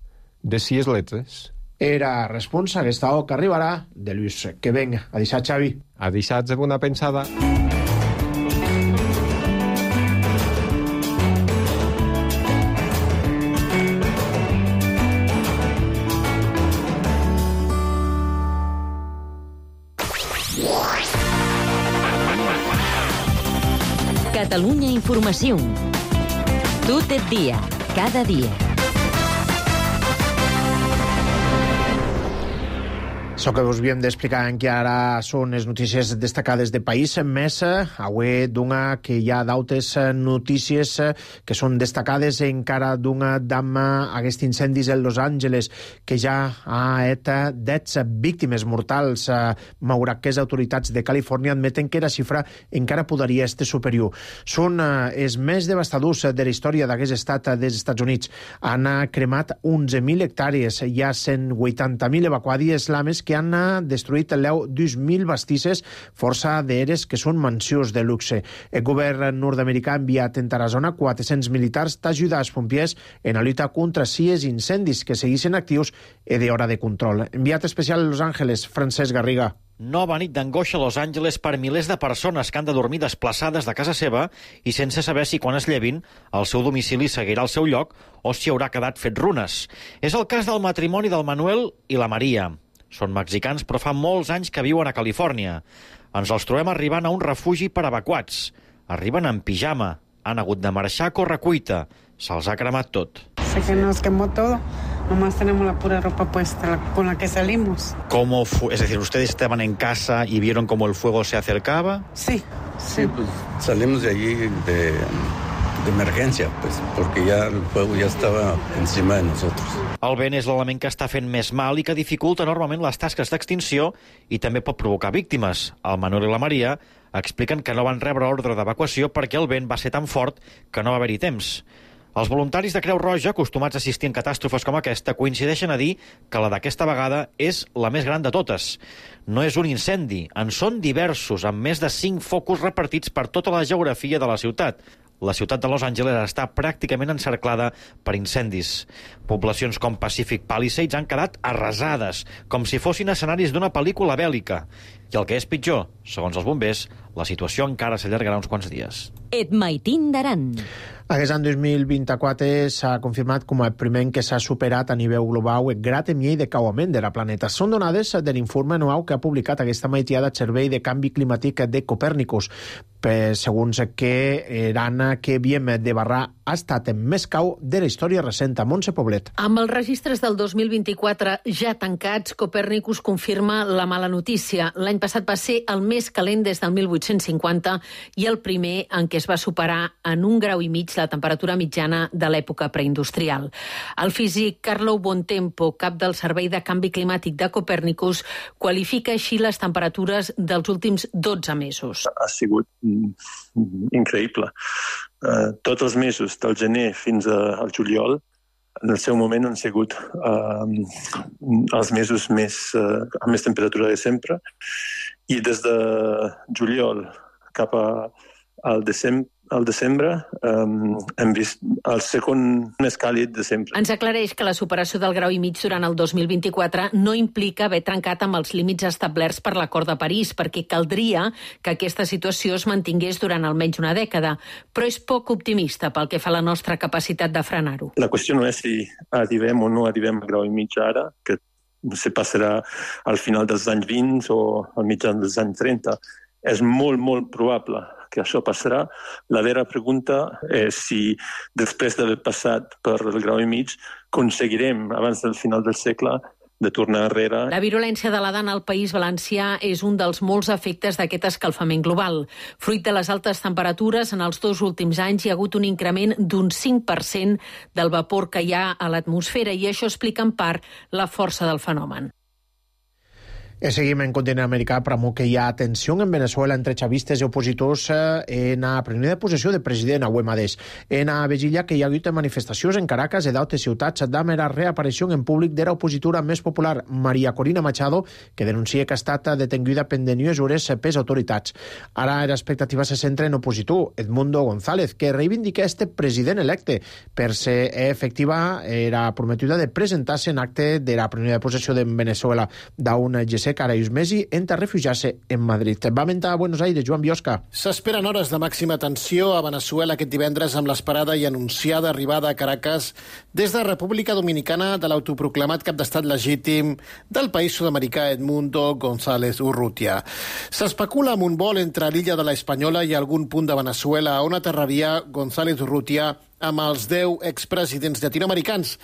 De 6 letres. Era responsa aquesta o que arribarà de Lluís. Que venga. A deixar, Xavi. A deixar de bona pensada. Catalunya Informació. Tot el dia, cada dia. Això que us havíem d'explicar en què ara són les notícies destacades de país, més avui d'una que hi ha d'altres notícies que són destacades encara d'una dama aquests incendis en Los Angeles que ja ha estat 10 víctimes mortals, malgrat que les autoritats de Califòrnia admeten que la xifra encara podria estar superior. Són els més devastadors de la història d'aquest estat dels Estats Units. Han cremat 11.000 hectàrees, hi ha 180.000 evacuades lames que han destruït l'eu 2.000 bastisses, força d'eres que són mansions de luxe. El govern nord-americà ha enviat en Tarazona 400 militars d'ajudar als pompiers en la lluita contra 6 incendis que segueixen actius i d'hora de control. Enviat especial a Los Angeles, Francesc Garriga. Nova nit d'angoixa a Los Angeles per milers de persones que han de dormir desplaçades de casa seva i sense saber si quan es llevin el seu domicili seguirà al seu lloc o si haurà quedat fet runes. És el cas del matrimoni del Manuel i la Maria. Són mexicans, però fa molts anys que viuen a Califòrnia. Ens els trobem arribant a un refugi per evacuats. Arriben en pijama. Han hagut de marxar a correcuita. Se'ls ha cremat tot. Sé que nos quemó todo. Nomás tenemos la pura ropa puesta con la que salimos. ¿Cómo fue? Es decir, ¿ustedes estaban en casa y vieron cómo el fuego se acercaba? Sí. Sí, pues salimos de allí de emergència, pues, perquè ja el fuego ja estava encima de nosotros. El vent és l'element que està fent més mal i que dificulta enormement les tasques d'extinció i també pot provocar víctimes. El Manuel i la Maria expliquen que no van rebre ordre d'evacuació perquè el vent va ser tan fort que no va haver-hi temps. Els voluntaris de Creu Roja, acostumats a assistir en catàstrofes com aquesta, coincideixen a dir que la d'aquesta vegada és la més gran de totes. No és un incendi, en són diversos, amb més de 5 focus repartits per tota la geografia de la ciutat. La ciutat de Los Angeles està pràcticament encerclada per incendis. Poblacions com Pacific Palisades han quedat arrasades, com si fossin escenaris d'una pel·lícula bèl·lica. I el que és pitjor, segons els bombers, la situació encara s'allargarà uns quants dies. Et maitin d'Aran. Aquest any 2024 s'ha confirmat com el primer any que s'ha superat a nivell global el grau de nivell de cauament de la planeta. Són donades de l'informe anual que ha publicat aquesta maitiada el Servei de Canvi Climàtic de Copèrnicus. Segons que l'any que havíem de barrar ha estat el més cau de la història recent. A Montse Poblet. Amb els registres del 2024 ja tancats, Copèrnicus confirma la mala notícia. L'any passat va ser el més calent des del 1850 i el primer en què es va superar en 1,5 graus la temperatura mitjana de l'època preindustrial. El físic Carlo Bontempo, cap del Servei de Canvi Climàtic de Copèrnicus, qualifica així les temperatures dels últims 12 mesos. Ha sigut increïble. Tots els mesos, del gener fins al juliol, en el seu moment han sigut els mesos amb més temperatura de sempre, i des de juliol cap al desembre hem vist el segon més càlid de sempre. Ens aclareix que la superació del 1,5 graus durant el 2024 no implica haver trencat amb els límits establerts per l'Acord de París, perquè caldria que aquesta situació es mantingués durant almenys una dècada, però és poc optimista pel que fa a la nostra capacitat de frenar-ho. La qüestió no és si arribem o no arribem al 1,5 graus ara, que se passarà al final dels anys 20 o al mitjan dels anys 30. És molt, molt probable que això passarà. La vera pregunta és si, després d'haver passat per el 1,5 graus, aconseguirem, abans del final del segle, de tornar enrere. La virulència de l'Adana al País Valencià és un dels molts efectes d'aquest escalfament global. Fruit de les altes temperatures, en els 2 últims anys hi ha hagut un increment d'un 5% del vapor que hi ha a l'atmosfera i això explica en part la força del fenomen. Seguim en continent americà, però que hi ha tensió en Venezuela entre chavistes i opositors en la presa de possessió del president avui mateix. En la vigília que hi ha hagut manifestacions en Caracas i d'altres ciutats amb la reaparició en públic de l'opositora més popular, María Corina Machado, que denuncia que ha estat detenguda pendent mesures per les autoritats. Ara l'expectativa se centra en opositor, Edmundo González, que reivindica este president electe per ser efectiva la prometuda de presentar-se en acte de la presa de possessió de Venezuela d'un ser que ara uns mesos entra a refugiar-se en Madrid. Va mentar a Buenos Aires, Joan Biosca. S'esperen hores de màxima tensió a Venezuela aquest divendres amb l'esperada i anunciada arribada a Caracas des de República Dominicana de l'autoproclamat cap d'estat legítim del país sud-americà Edmundo González Urrutia. S'especula amb un vol entre l'illa de la Espanyola i algun punt de Venezuela on aterraria González Urrutia amb els 10 expresidents llatinoamericans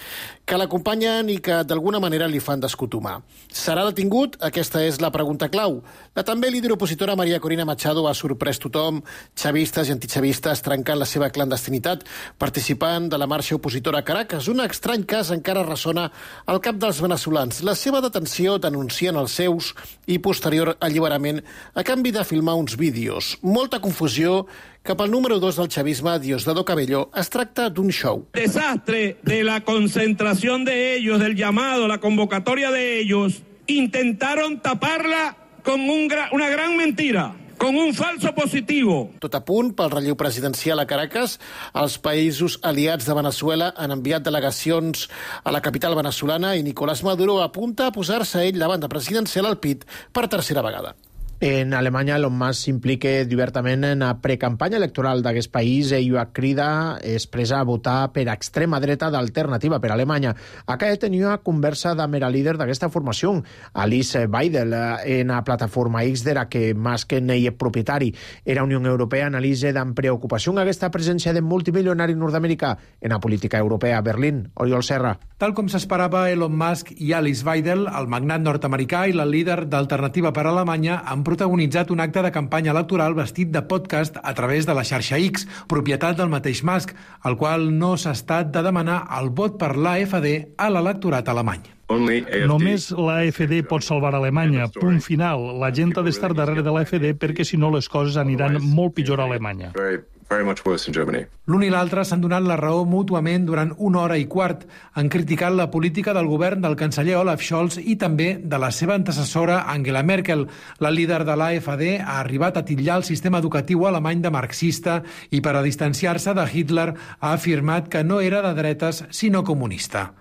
que l'acompanyen i que d'alguna manera li fan d'escotumar. Serà detingut? Aquesta és la pregunta clau. La també líder opositora María Corina Machado ha sorprès tothom, xavistes i antichavistes trencant la seva clandestinitat, participant de la marxa opositora a Caracas. Un estrany cas encara ressona al cap dels veneçolans. La seva detenció denuncien els seus i posterior alliberament a canvi de filmar uns vídeos. Molta confusió cap al número 2 del chavisme, Diosdado Cabello. Es tracta d'un show. Desastre de la concentración de ellos, del llamado, la convocatoria de ellos, intentaron taparla con una gran mentira, con un falso positivo. Tot a punt pel relleu presidencial a Caracas, els països aliats de Venezuela han enviat delegacions a la capital venezolana i Nicolás Maduro apunta a posar-se ell la banda presidencial al pit per tercera vegada. En Alemanya, Elon Musk s'implica obertament en la precampanya electoral d'aquest país i crida expressa a votar per extrema dreta d'Alternativa per Alemanya. Acá tenia conversa amb la líder d'aquesta formació, Alice Weidel, en la plataforma X de la que Musk n'hi és propietari. La Unió Europea analitza amb preocupació aquesta presència de multimilionari nord-americà en la política europea a Berlín. Oriol Serra. Tal com s'esperava, Elon Musk i Alice Weidel, el magnat nord-americà i la líder d'Alternativa per Alemanya, han protagonitzat un acte de campanya electoral vestit de podcast a través de la xarxa X, propietat del mateix Musk, al qual no s'ha estat de demanar el vot per l'AfD a l'electorat alemany. Només l'AfD pot salvar Alemanya. Punt final. La gent ha d'estar darrere de l'AfD perquè si no les coses aniran molt pitjor a Alemanya. L'un i l'altre s'han donat la raó mútuament durant 1 hora i quart. Han criticat la política del govern del canceller Olaf Scholz i també de la seva antecessora Angela Merkel. La líder de l'AfD ha arribat a titllar el sistema educatiu alemany de marxista i per a distanciar-se de Hitler ha afirmat que no era de dretes sinó comunista.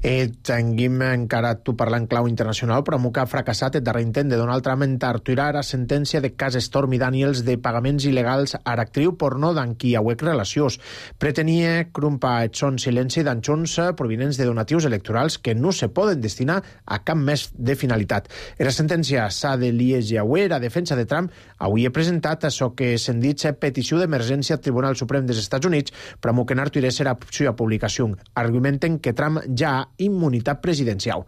Tinguem encara tu parlant clau internacional, però que ha fracassat el darrer intent de Donald Trump en torturar la sentència de cas Stormy Daniels de pagaments il·legals a l'actriu porno d'en qui hauec relacions. Pretenia crumpar el son silenci d'anxons provinents de donatius electorals que no se poden destinar a cap més de finalitat. La sentència s'ha de lieger avui. La defensa de Trump avui ha presentat això que se'n dit petició d'emergència al Tribunal Suprem dels Estats Units, però que n'arturés la seva publicació. Argumenten que Trump ja ha immunitat presidencial.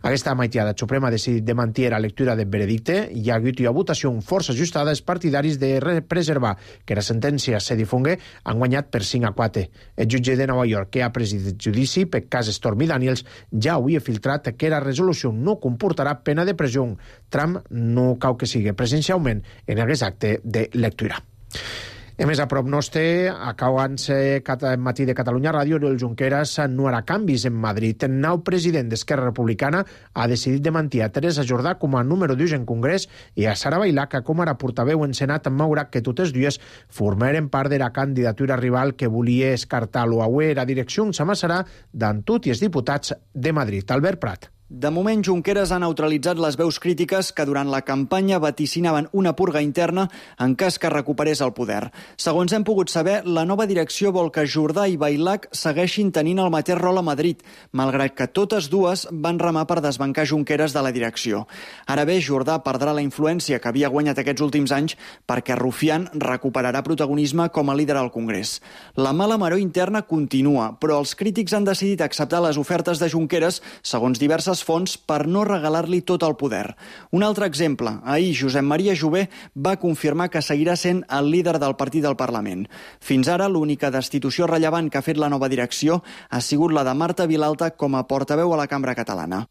Aquesta maitiada suprema ha decidit de mantenir la lectura del veredicte i ha hagut una votació força ajustada. Els partidaris de preservar que la sentència se difongue han guanyat per 5-4. El jutge de Nova York, que ha presidit judici per cas Stormy Daniels, ja havia filtrat que la resolució no comportarà pena de presó. Trump no cau que sigui presencialment en aquest acte de lectura. A més, a prop nostre, acabant-se matí de Catalunya Ràdio, Oriol Junqueras no harà canvis en Madrid. El nou president d'Esquerra Republicana ha decidit de mantenir a Teresa Jordà com a número 2 en Congrés i a Sara Bailac com a portaveu en Senat, malgrat que totes dues formaren part de la candidatura rival que volia escartar-lo. Avui la direcció s'amassarà d'en tots els diputats de Madrid. Albert Prat. De moment, Junqueras ha neutralitzat les veus crítiques que durant la campanya vaticinaven una purga interna en cas que recuperés el poder. Segons hem pogut saber, la nova direcció vol que Jordà i Bailac segueixin tenint el mateix rol a Madrid, malgrat que totes dues van remar per desbancar Junqueras de la direcció. Ara bé, Jordà perdrà la influència que havia guanyat aquests últims anys perquè Rufián recuperarà protagonisme com a líder al Congrés. La mala maror interna continua, però els crítics han decidit acceptar les ofertes de Junqueras, segons diverses fonts, per no regalar-li tot el poder. Un altre exemple. Ahir, Josep Maria Jové va confirmar que seguirà sent el líder del partit del Parlament. Fins ara, l'única destitució rellevant que ha fet la nova direcció ha sigut la de Marta Vilalta com a portaveu a la Cambra Catalana.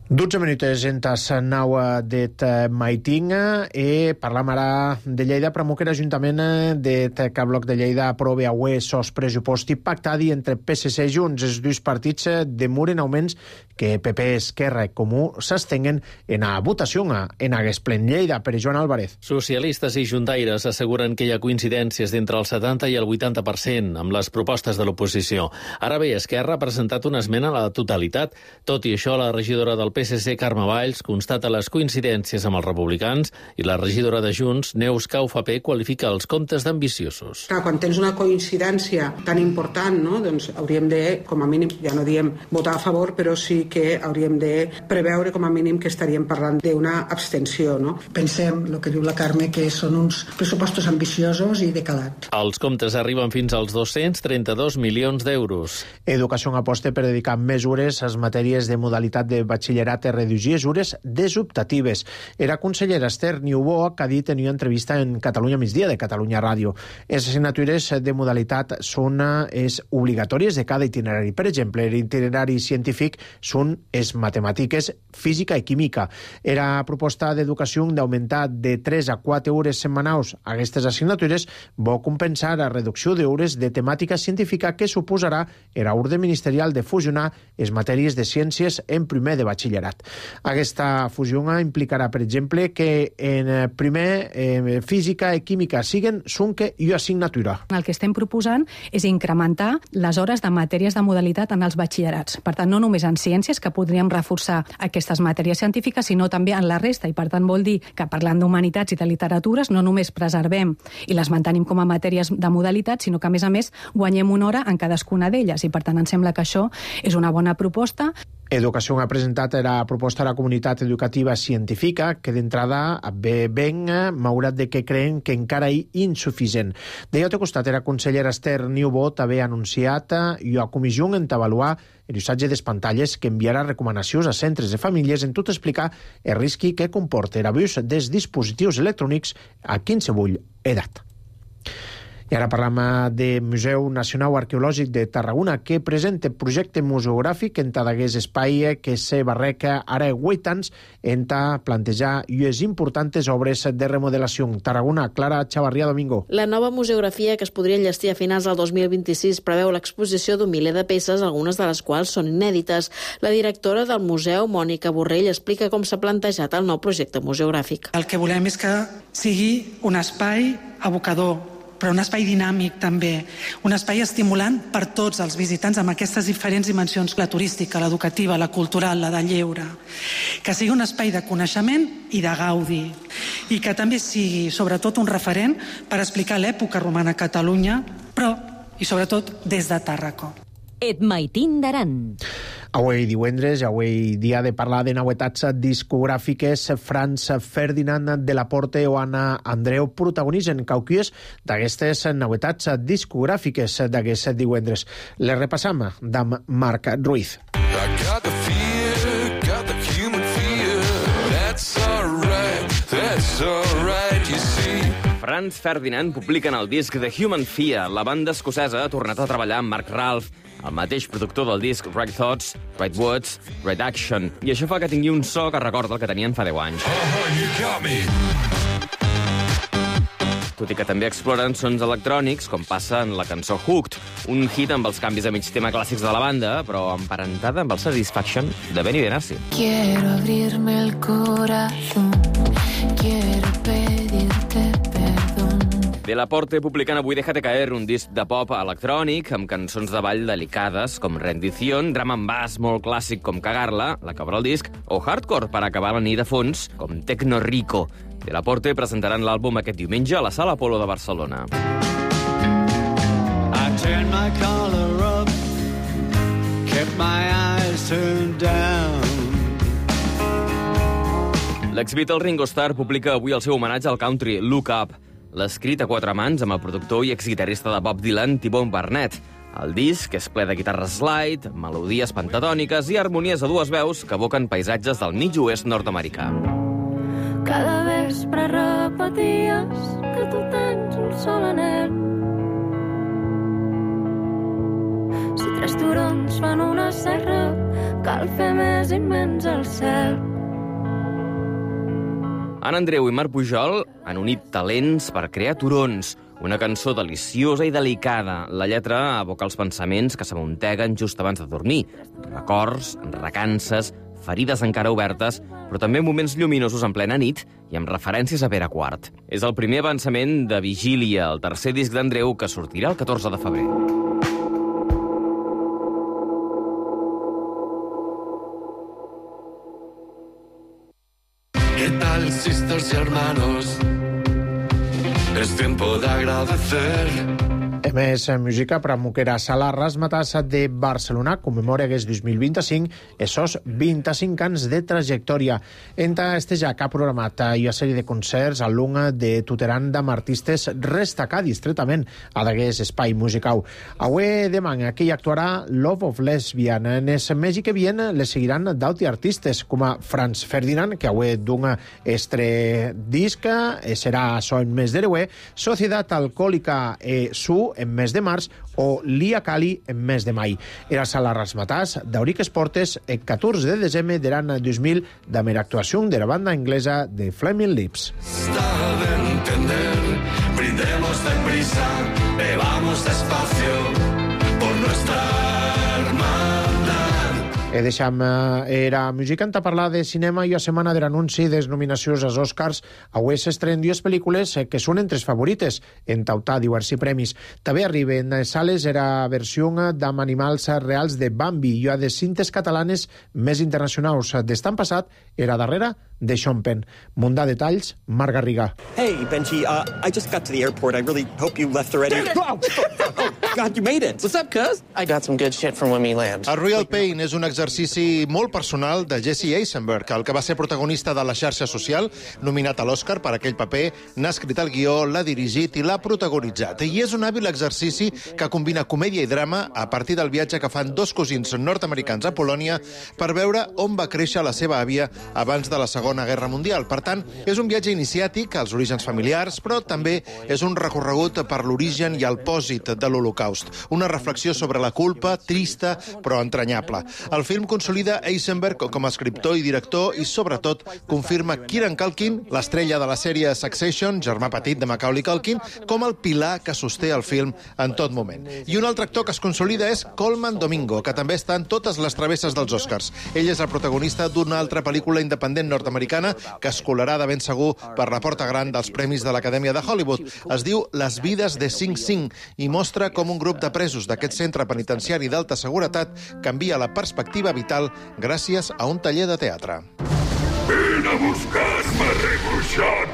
12 minuts entas 9 det maiting i parlam ara de Lleida, però que l'Ajuntament de Bloc de Lleida aprova avui sos pressuposti pactadi entre PSC i Junts. Els dos partits demoren augments que PP, Esquerra i Comú s'estenguen en a votació en aquest plen. Lleida, per Joan Álvarez. Socialistes i juntaires asseguren que hi ha coincidències d'entre el 70 i el 80% amb les propostes de l'oposició. Ara bé, Esquerra ha presentat una esmena a la totalitat. Tot i això, la regidora del PSC, Carme Valls, constata les coincidències amb els republicans i la regidora de Junts, Neus Caufapé, qualifica els comptes d'ambiciosos. Clar, quan tens una coincidència tan important, no? Doncs hauríem de, com a mínim, ja no diem votar a favor, però sí que hauríem de preveure com a mínim que estaríem parlant d'una abstenció, no? Pensem, el que diu la Carme, que són uns pressupostos ambiciosos i de calat. Els comptes arriben fins als 232 milions d'euros. Educació aposta per dedicar mesures a les matèries de modalitat de batxillerat i reduir hores desoptatives. Era consellera Esther Niubó, que ha dit en una entrevista en Catalunya Migdia de Catalunya Ràdio. Les assignatures de modalitat són obligatòries de cada itinerari. Per exemple, l'itinerari científic són les matemàtiques, física i química. Era proposta d'educació d'augmentar de 3 a 4 hores setmanals aquestes assignatures vol compensar la reducció d'hores de temàtica científica que suposarà era ordre ministerial de fusionar les matèries de ciències en primer de batxillerat. Aquesta fusió implicarà, per exemple, que en primer física i química siguen sunque i assignatura. El que estem proposant és incrementar les hores de matèries de modalitat en els batxillerats. Per tant, no només en ciències, que podríem reforçar aquestes matèries científiques, sinó també en la resta. I per tant vol dir que parlant d'humanitats i de literatures no només preservem i les mantenim com a matèries de modalitat, sinó que a més guanyem una hora en cadascuna d'elles. I per tant em sembla que això és una bona proposta. Educació ha presentat la proposta a la comunitat educativa científica, que d'entrada ve ben malgrat de que creen que encara hi insuficient. D'altre costat, la consellera Esther Niubó també ha anunciat la comissió en avaluar l'usatge de pantalles que enviarà recomanacions a centres de famílies en tot explicar el risc que comporta l'abús dels dispositius electrònics a qualsevol edat. I ara parlam del Museu Nacional Arqueològic de Tarragona, que presenta projecte museogràfic en d'aquest espai que se barreca ara 8 anys en plantejar les importants obres de remodelació. Tarragona, Clara Chavarria Domingo. La nova museografia, que es podria enllestir a finals del 2026, preveu l'exposició d'un miler de peces, algunes de les quals són inèdites. La directora del museu, Mònica Borrell, explica com s'ha plantejat el nou projecte museogràfic. El que volem és que sigui un espai abocador, però un espai dinàmic també, un espai estimulant per tots els visitants amb aquestes diferents dimensions, la turística, l'educativa, la cultural, la de lleure, que sigui un espai de coneixement i de gaudi, i que també sigui sobretot un referent per explicar l'època romana a Catalunya, però i sobretot des de Tàrraco. Et maitin d'Aran. Avui divendres, avui dia de parlar de novetats discogràfiques, Franz Ferdinand de la Porte o Anna Andreu protagonitzen cauquies d'aquestes novetats discogràfiques d'aquest divendres. Les repassam amb Marc Ruiz. Franz Ferdinand publiquen el disc The Human Fear. La banda escocesa ha tornat a treballar amb Mark Ralph, el mateix productor del disc Right Thoughts, Right Words, Right Action. I això fa que tingui un so que recorda el que tenien fa 10 anys. Tot i que també exploren sons electrònics, com passa en la cançó Hooked, un hit amb els canvis a mig tema clàssics de la banda, però emparentada amb el Satisfaction de Benny Benassi. Quiero abrirme el corazón, quiero pedirte perdón. De la Porte publicant avui Déjate Caer, un disc de pop electrònic amb cançons de ball delicades com Rendición, drama en bass molt clàssic com Cagarla, la que obre el disc, o hardcore per acabar la nit de fons com Tecno Rico. De la Porte presentaran l'àlbum aquest diumenge a la Sala Apolo de Barcelona. I turned my collar up, kept my eyes turned down. L'ex-Beatle Ringo Starr publica avui el seu homenatge al country Look Up. L'ha escrit a 4 mans amb el productor i exguitarrista de Bob Dylan, T-Bone Burnett. El disc és ple de guitarres slide, melodies pentatòniques i harmonies a 2 veus que evoquen paisatges del mig oest nord-americà. Cada vespre repeties que tu tens un sol anel. Si 3 turons fan una serra, cal fer més immens al cel. Anna Andreu i Marc Pujol han unit talents per crear turons, Una cançó deliciosa i delicada. La lletra evoca els pensaments que s'amunteguen just abans de dormir. Records, recances, ferides encara obertes, però també moments lluminosos en plena nit i amb referències a Pere IV. És el primer avançament de Vigília, el tercer disc d'Andreu, que sortirà el 14 de febrer. ¿Qué tal, sisters y hermanos? Es tiempo de agradecer. Més música per a Moquera Sala Razzmatazz de Barcelona commemora aquest 2025 esos 25 anys de trajectòria. Enta este ja que ha programat una sèrie de concerts al lung de tuteran amb artistes restacar distretament a d'aquest espai musical. Avui demà aquí actuarà Love of Lesbian. En el mes que viene les seguiran d'altres artistes com a Franz Ferdinand, que avui d'un estre disc serà això en mes d'hereu, Societat Alcohòlica Su en mes de març o Lia Cali en mes de mai. Era Sala Razzmatazz d'Auric Esportes el 14 de desembre de l'any 2000 amb l'actuació de la banda anglesa de Flaming Lips. Está de entender, brindemos deprisa, bebamos despacio por nuestra hermandad. Deixam era música a parlar de cinema i a setmana de l'anunci de les nominacions als Oscars. Avui s'estrenen dues pel·lícules que són entre les favorites en tautar diversos premis. També arriben a sales era versió d'amb animals reals de Bambi i a de cintes catalanes més internacionals. D'estan passat era darrere de Sean Penn. Munt de detalls, Marc Garriga. Hey, Benji, I just got to the airport. I really hope you left already. Oh, God, you made it. What's up, cuz? I got some good shit from when we land. A Real Pain és un exercici molt personal de Jesse Eisenberg, el que va ser protagonista de La xarxa social, nominat a l'Oscar per aquell paper, n'ha escrit el guió, l'ha dirigit i l'ha protagonitzat. I és un hàbil exercici que combina comèdia i drama a partir del viatge que fan dos cosins nord-americans a Polònia per veure on va créixer la seva àvia abans de la Segona Guerra Mundial. Per tant, és un viatge iniciàtic als orígens familiars, però també és un recorregut per l'origen i el pòsit de l'Holocaust. Una reflexió sobre la culpa, trista però entranyable. El film consolida Eisenberg com a escriptor i director i, sobretot, confirma Kieran Culkin, l'estrella de la sèrie Succession, germà petit de Macaulay Culkin, com el pilar que sosté el film en tot moment. I un altre actor que es consolida és Colman Domingo, que també està en totes les travesses dels Oscars. Ell és el protagonista d'una altra pel·lícula independent nord-americana que es colarà de ben segur per la porta gran dels Premis de l'Acadèmia de Hollywood. Es diu Les vides de Sing Sing i mostra com un grup de presos d'aquest centre penitenciari d'alta seguretat canvia la perspectiva vital gràcies a un taller de teatre. Ven a buscar-me, rei Bruixot!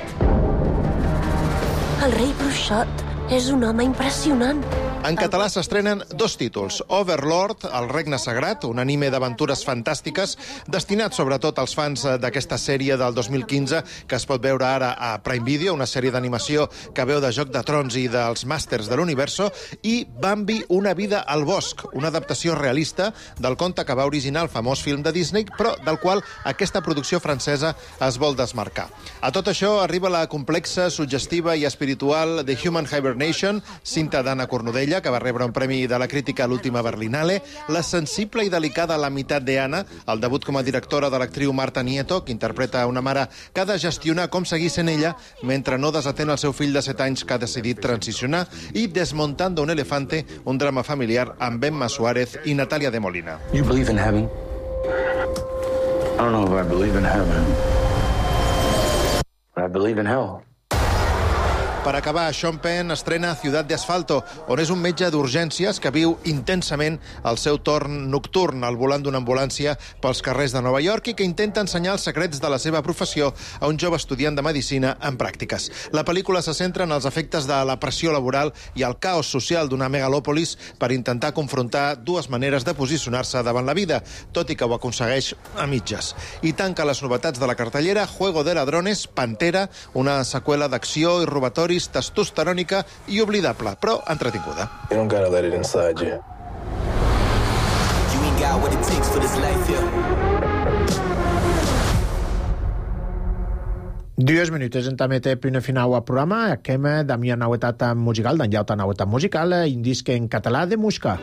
El rei Bruixot és un home impressionant. En català s'estrenen dos títols. Overlord, el regne sagrat, un anime d'aventures fantàstiques destinat sobretot als fans d'aquesta sèrie del 2015 que es pot veure ara a Prime Video, una sèrie d'animació que veu de Joc de Trons i dels Màsters de l'Universo, i Bambi, una vida al bosc, una adaptació realista del conte que va originar el famós film de Disney, però del qual aquesta producció francesa es vol desmarcar. A tot això arriba la complexa, suggestiva i espiritual The Human Hibernation, cinta d'Anna Cornudella, que va rebre un premi de la crítica a l'última Berlinale, la sensible i delicada La meitat de Anna, el debut com a directora de l'actriu Marta Nieto, que interpreta una mare que ha de gestionar com seguir sent ella mentre no desatén el seu fill de 7 anys que ha decidit transicionar, i Desmontando un elefante, un drama familiar amb Emma Suárez i Natàlia de Molina. You believe in heaven? I don't know if I believe in heaven, but I believe in hell. Per acabar, Sean Penn estrena Ciutat de Asfalto, on és un metge d'urgències que viu intensament el seu torn nocturn al volant d'una ambulància pels carrers de Nova York i que intenta ensenyar els secrets de la seva professió a un jove estudiant de medicina en pràctiques. La pel·lícula se centra en els efectes de la pressió laboral i el caos social d'una megalòpolis per intentar confrontar dues maneres de posicionar-se davant la vida, tot i que ho aconsegueix a mitges. I tanca les novetats de la cartellera Juego de Ladrones, Pantera, una seqüela d'acció i robatori testosterònica i oblidable, però entretinguda. You don't gotta let it inside you. You ain't got what it takes for this life here. 2 minuts en també té primer final al programa. Aquem d'amia nauetat musical, d'en llauta nauetat musical, indisc en català de Musca.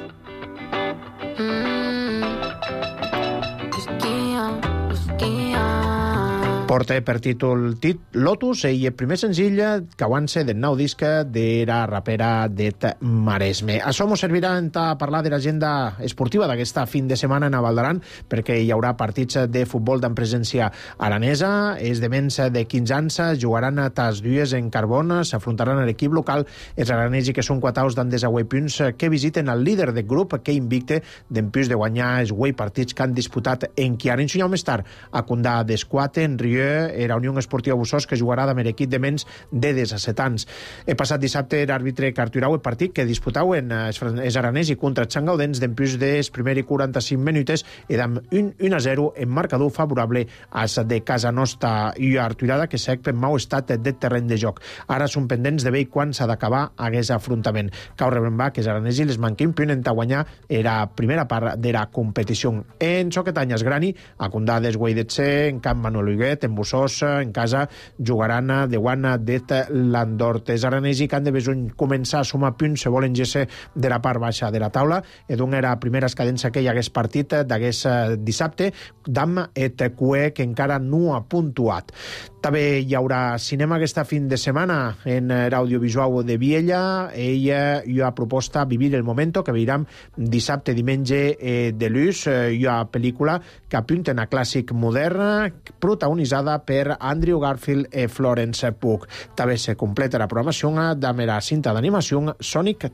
Porta per títol Lotus i el primer senzill cauant-se del nou disc de la rapera Det Maresme. Això mos servirà a parlar de l'agenda esportiva d'aquesta fin de setmana en Val d'Aran, perquè hi haurà partits de futbol amb presència aranesa, esdevents de 15 anys, jugaran a tas dues en Carbona, s'afrontaran a l'equip local, els aranesi que són quataus d'en desagüe punts que visiten el líder del grup que invicte d'empús de guanyar els guai partits que han disputat en Chiara. En més tard, a Condà d'Esquate, en Rieu, era Unió Esportiva Bussós, que jugarà amb l'equip de menys de 17 anys. El passat dissabte, l'àrbitre carturau el partit que disputaven els aranesi contra els sangaudens d'empús dels primers 45 minuts i amb 1-0 en marcador favorable als de Casa Nostra i Arturada, que sec per mau estat de terreny de joc. Ara són pendents de veure quan s'ha d'acabar aquest afrontament. Cal rebrembar que els aranesi les manquen punt en guanyar la primera part de la competició. En Soquetanyes Grani, a Condà d'Esguaidetxe, en Camp Manuel Huguet, en Bussós, en casa, jugaran de Guana d'Et Landort. Els aranesi que han de besuny començar a sumar punts se volen gesse de la part baixa de la taula. Edun era la primera escadença que hi hagués partit d'aquest dissabte, d'Am et Cue, que encara no ha puntuat. També hi haurà cinema aquesta fin de setmana en l'audiovisual de Viella. Ella hi ha proposta Vivir el Momento, que veiram dissabte, diumenge de l'ús. Hi ha pel·lícula que apunten a clàssic modern, protagonitzada per Andrew Garfield i Florence Pugh. També se completa la programació amb la cinta d'animació Sonic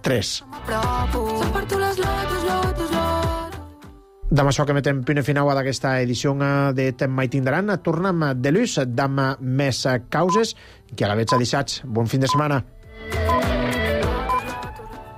3. Amb això que metem punt final d'aquesta edició de Tem mai tindran, tornem de l'ús, amb més causes, que a la veig a dissats. Bon fin de setmana.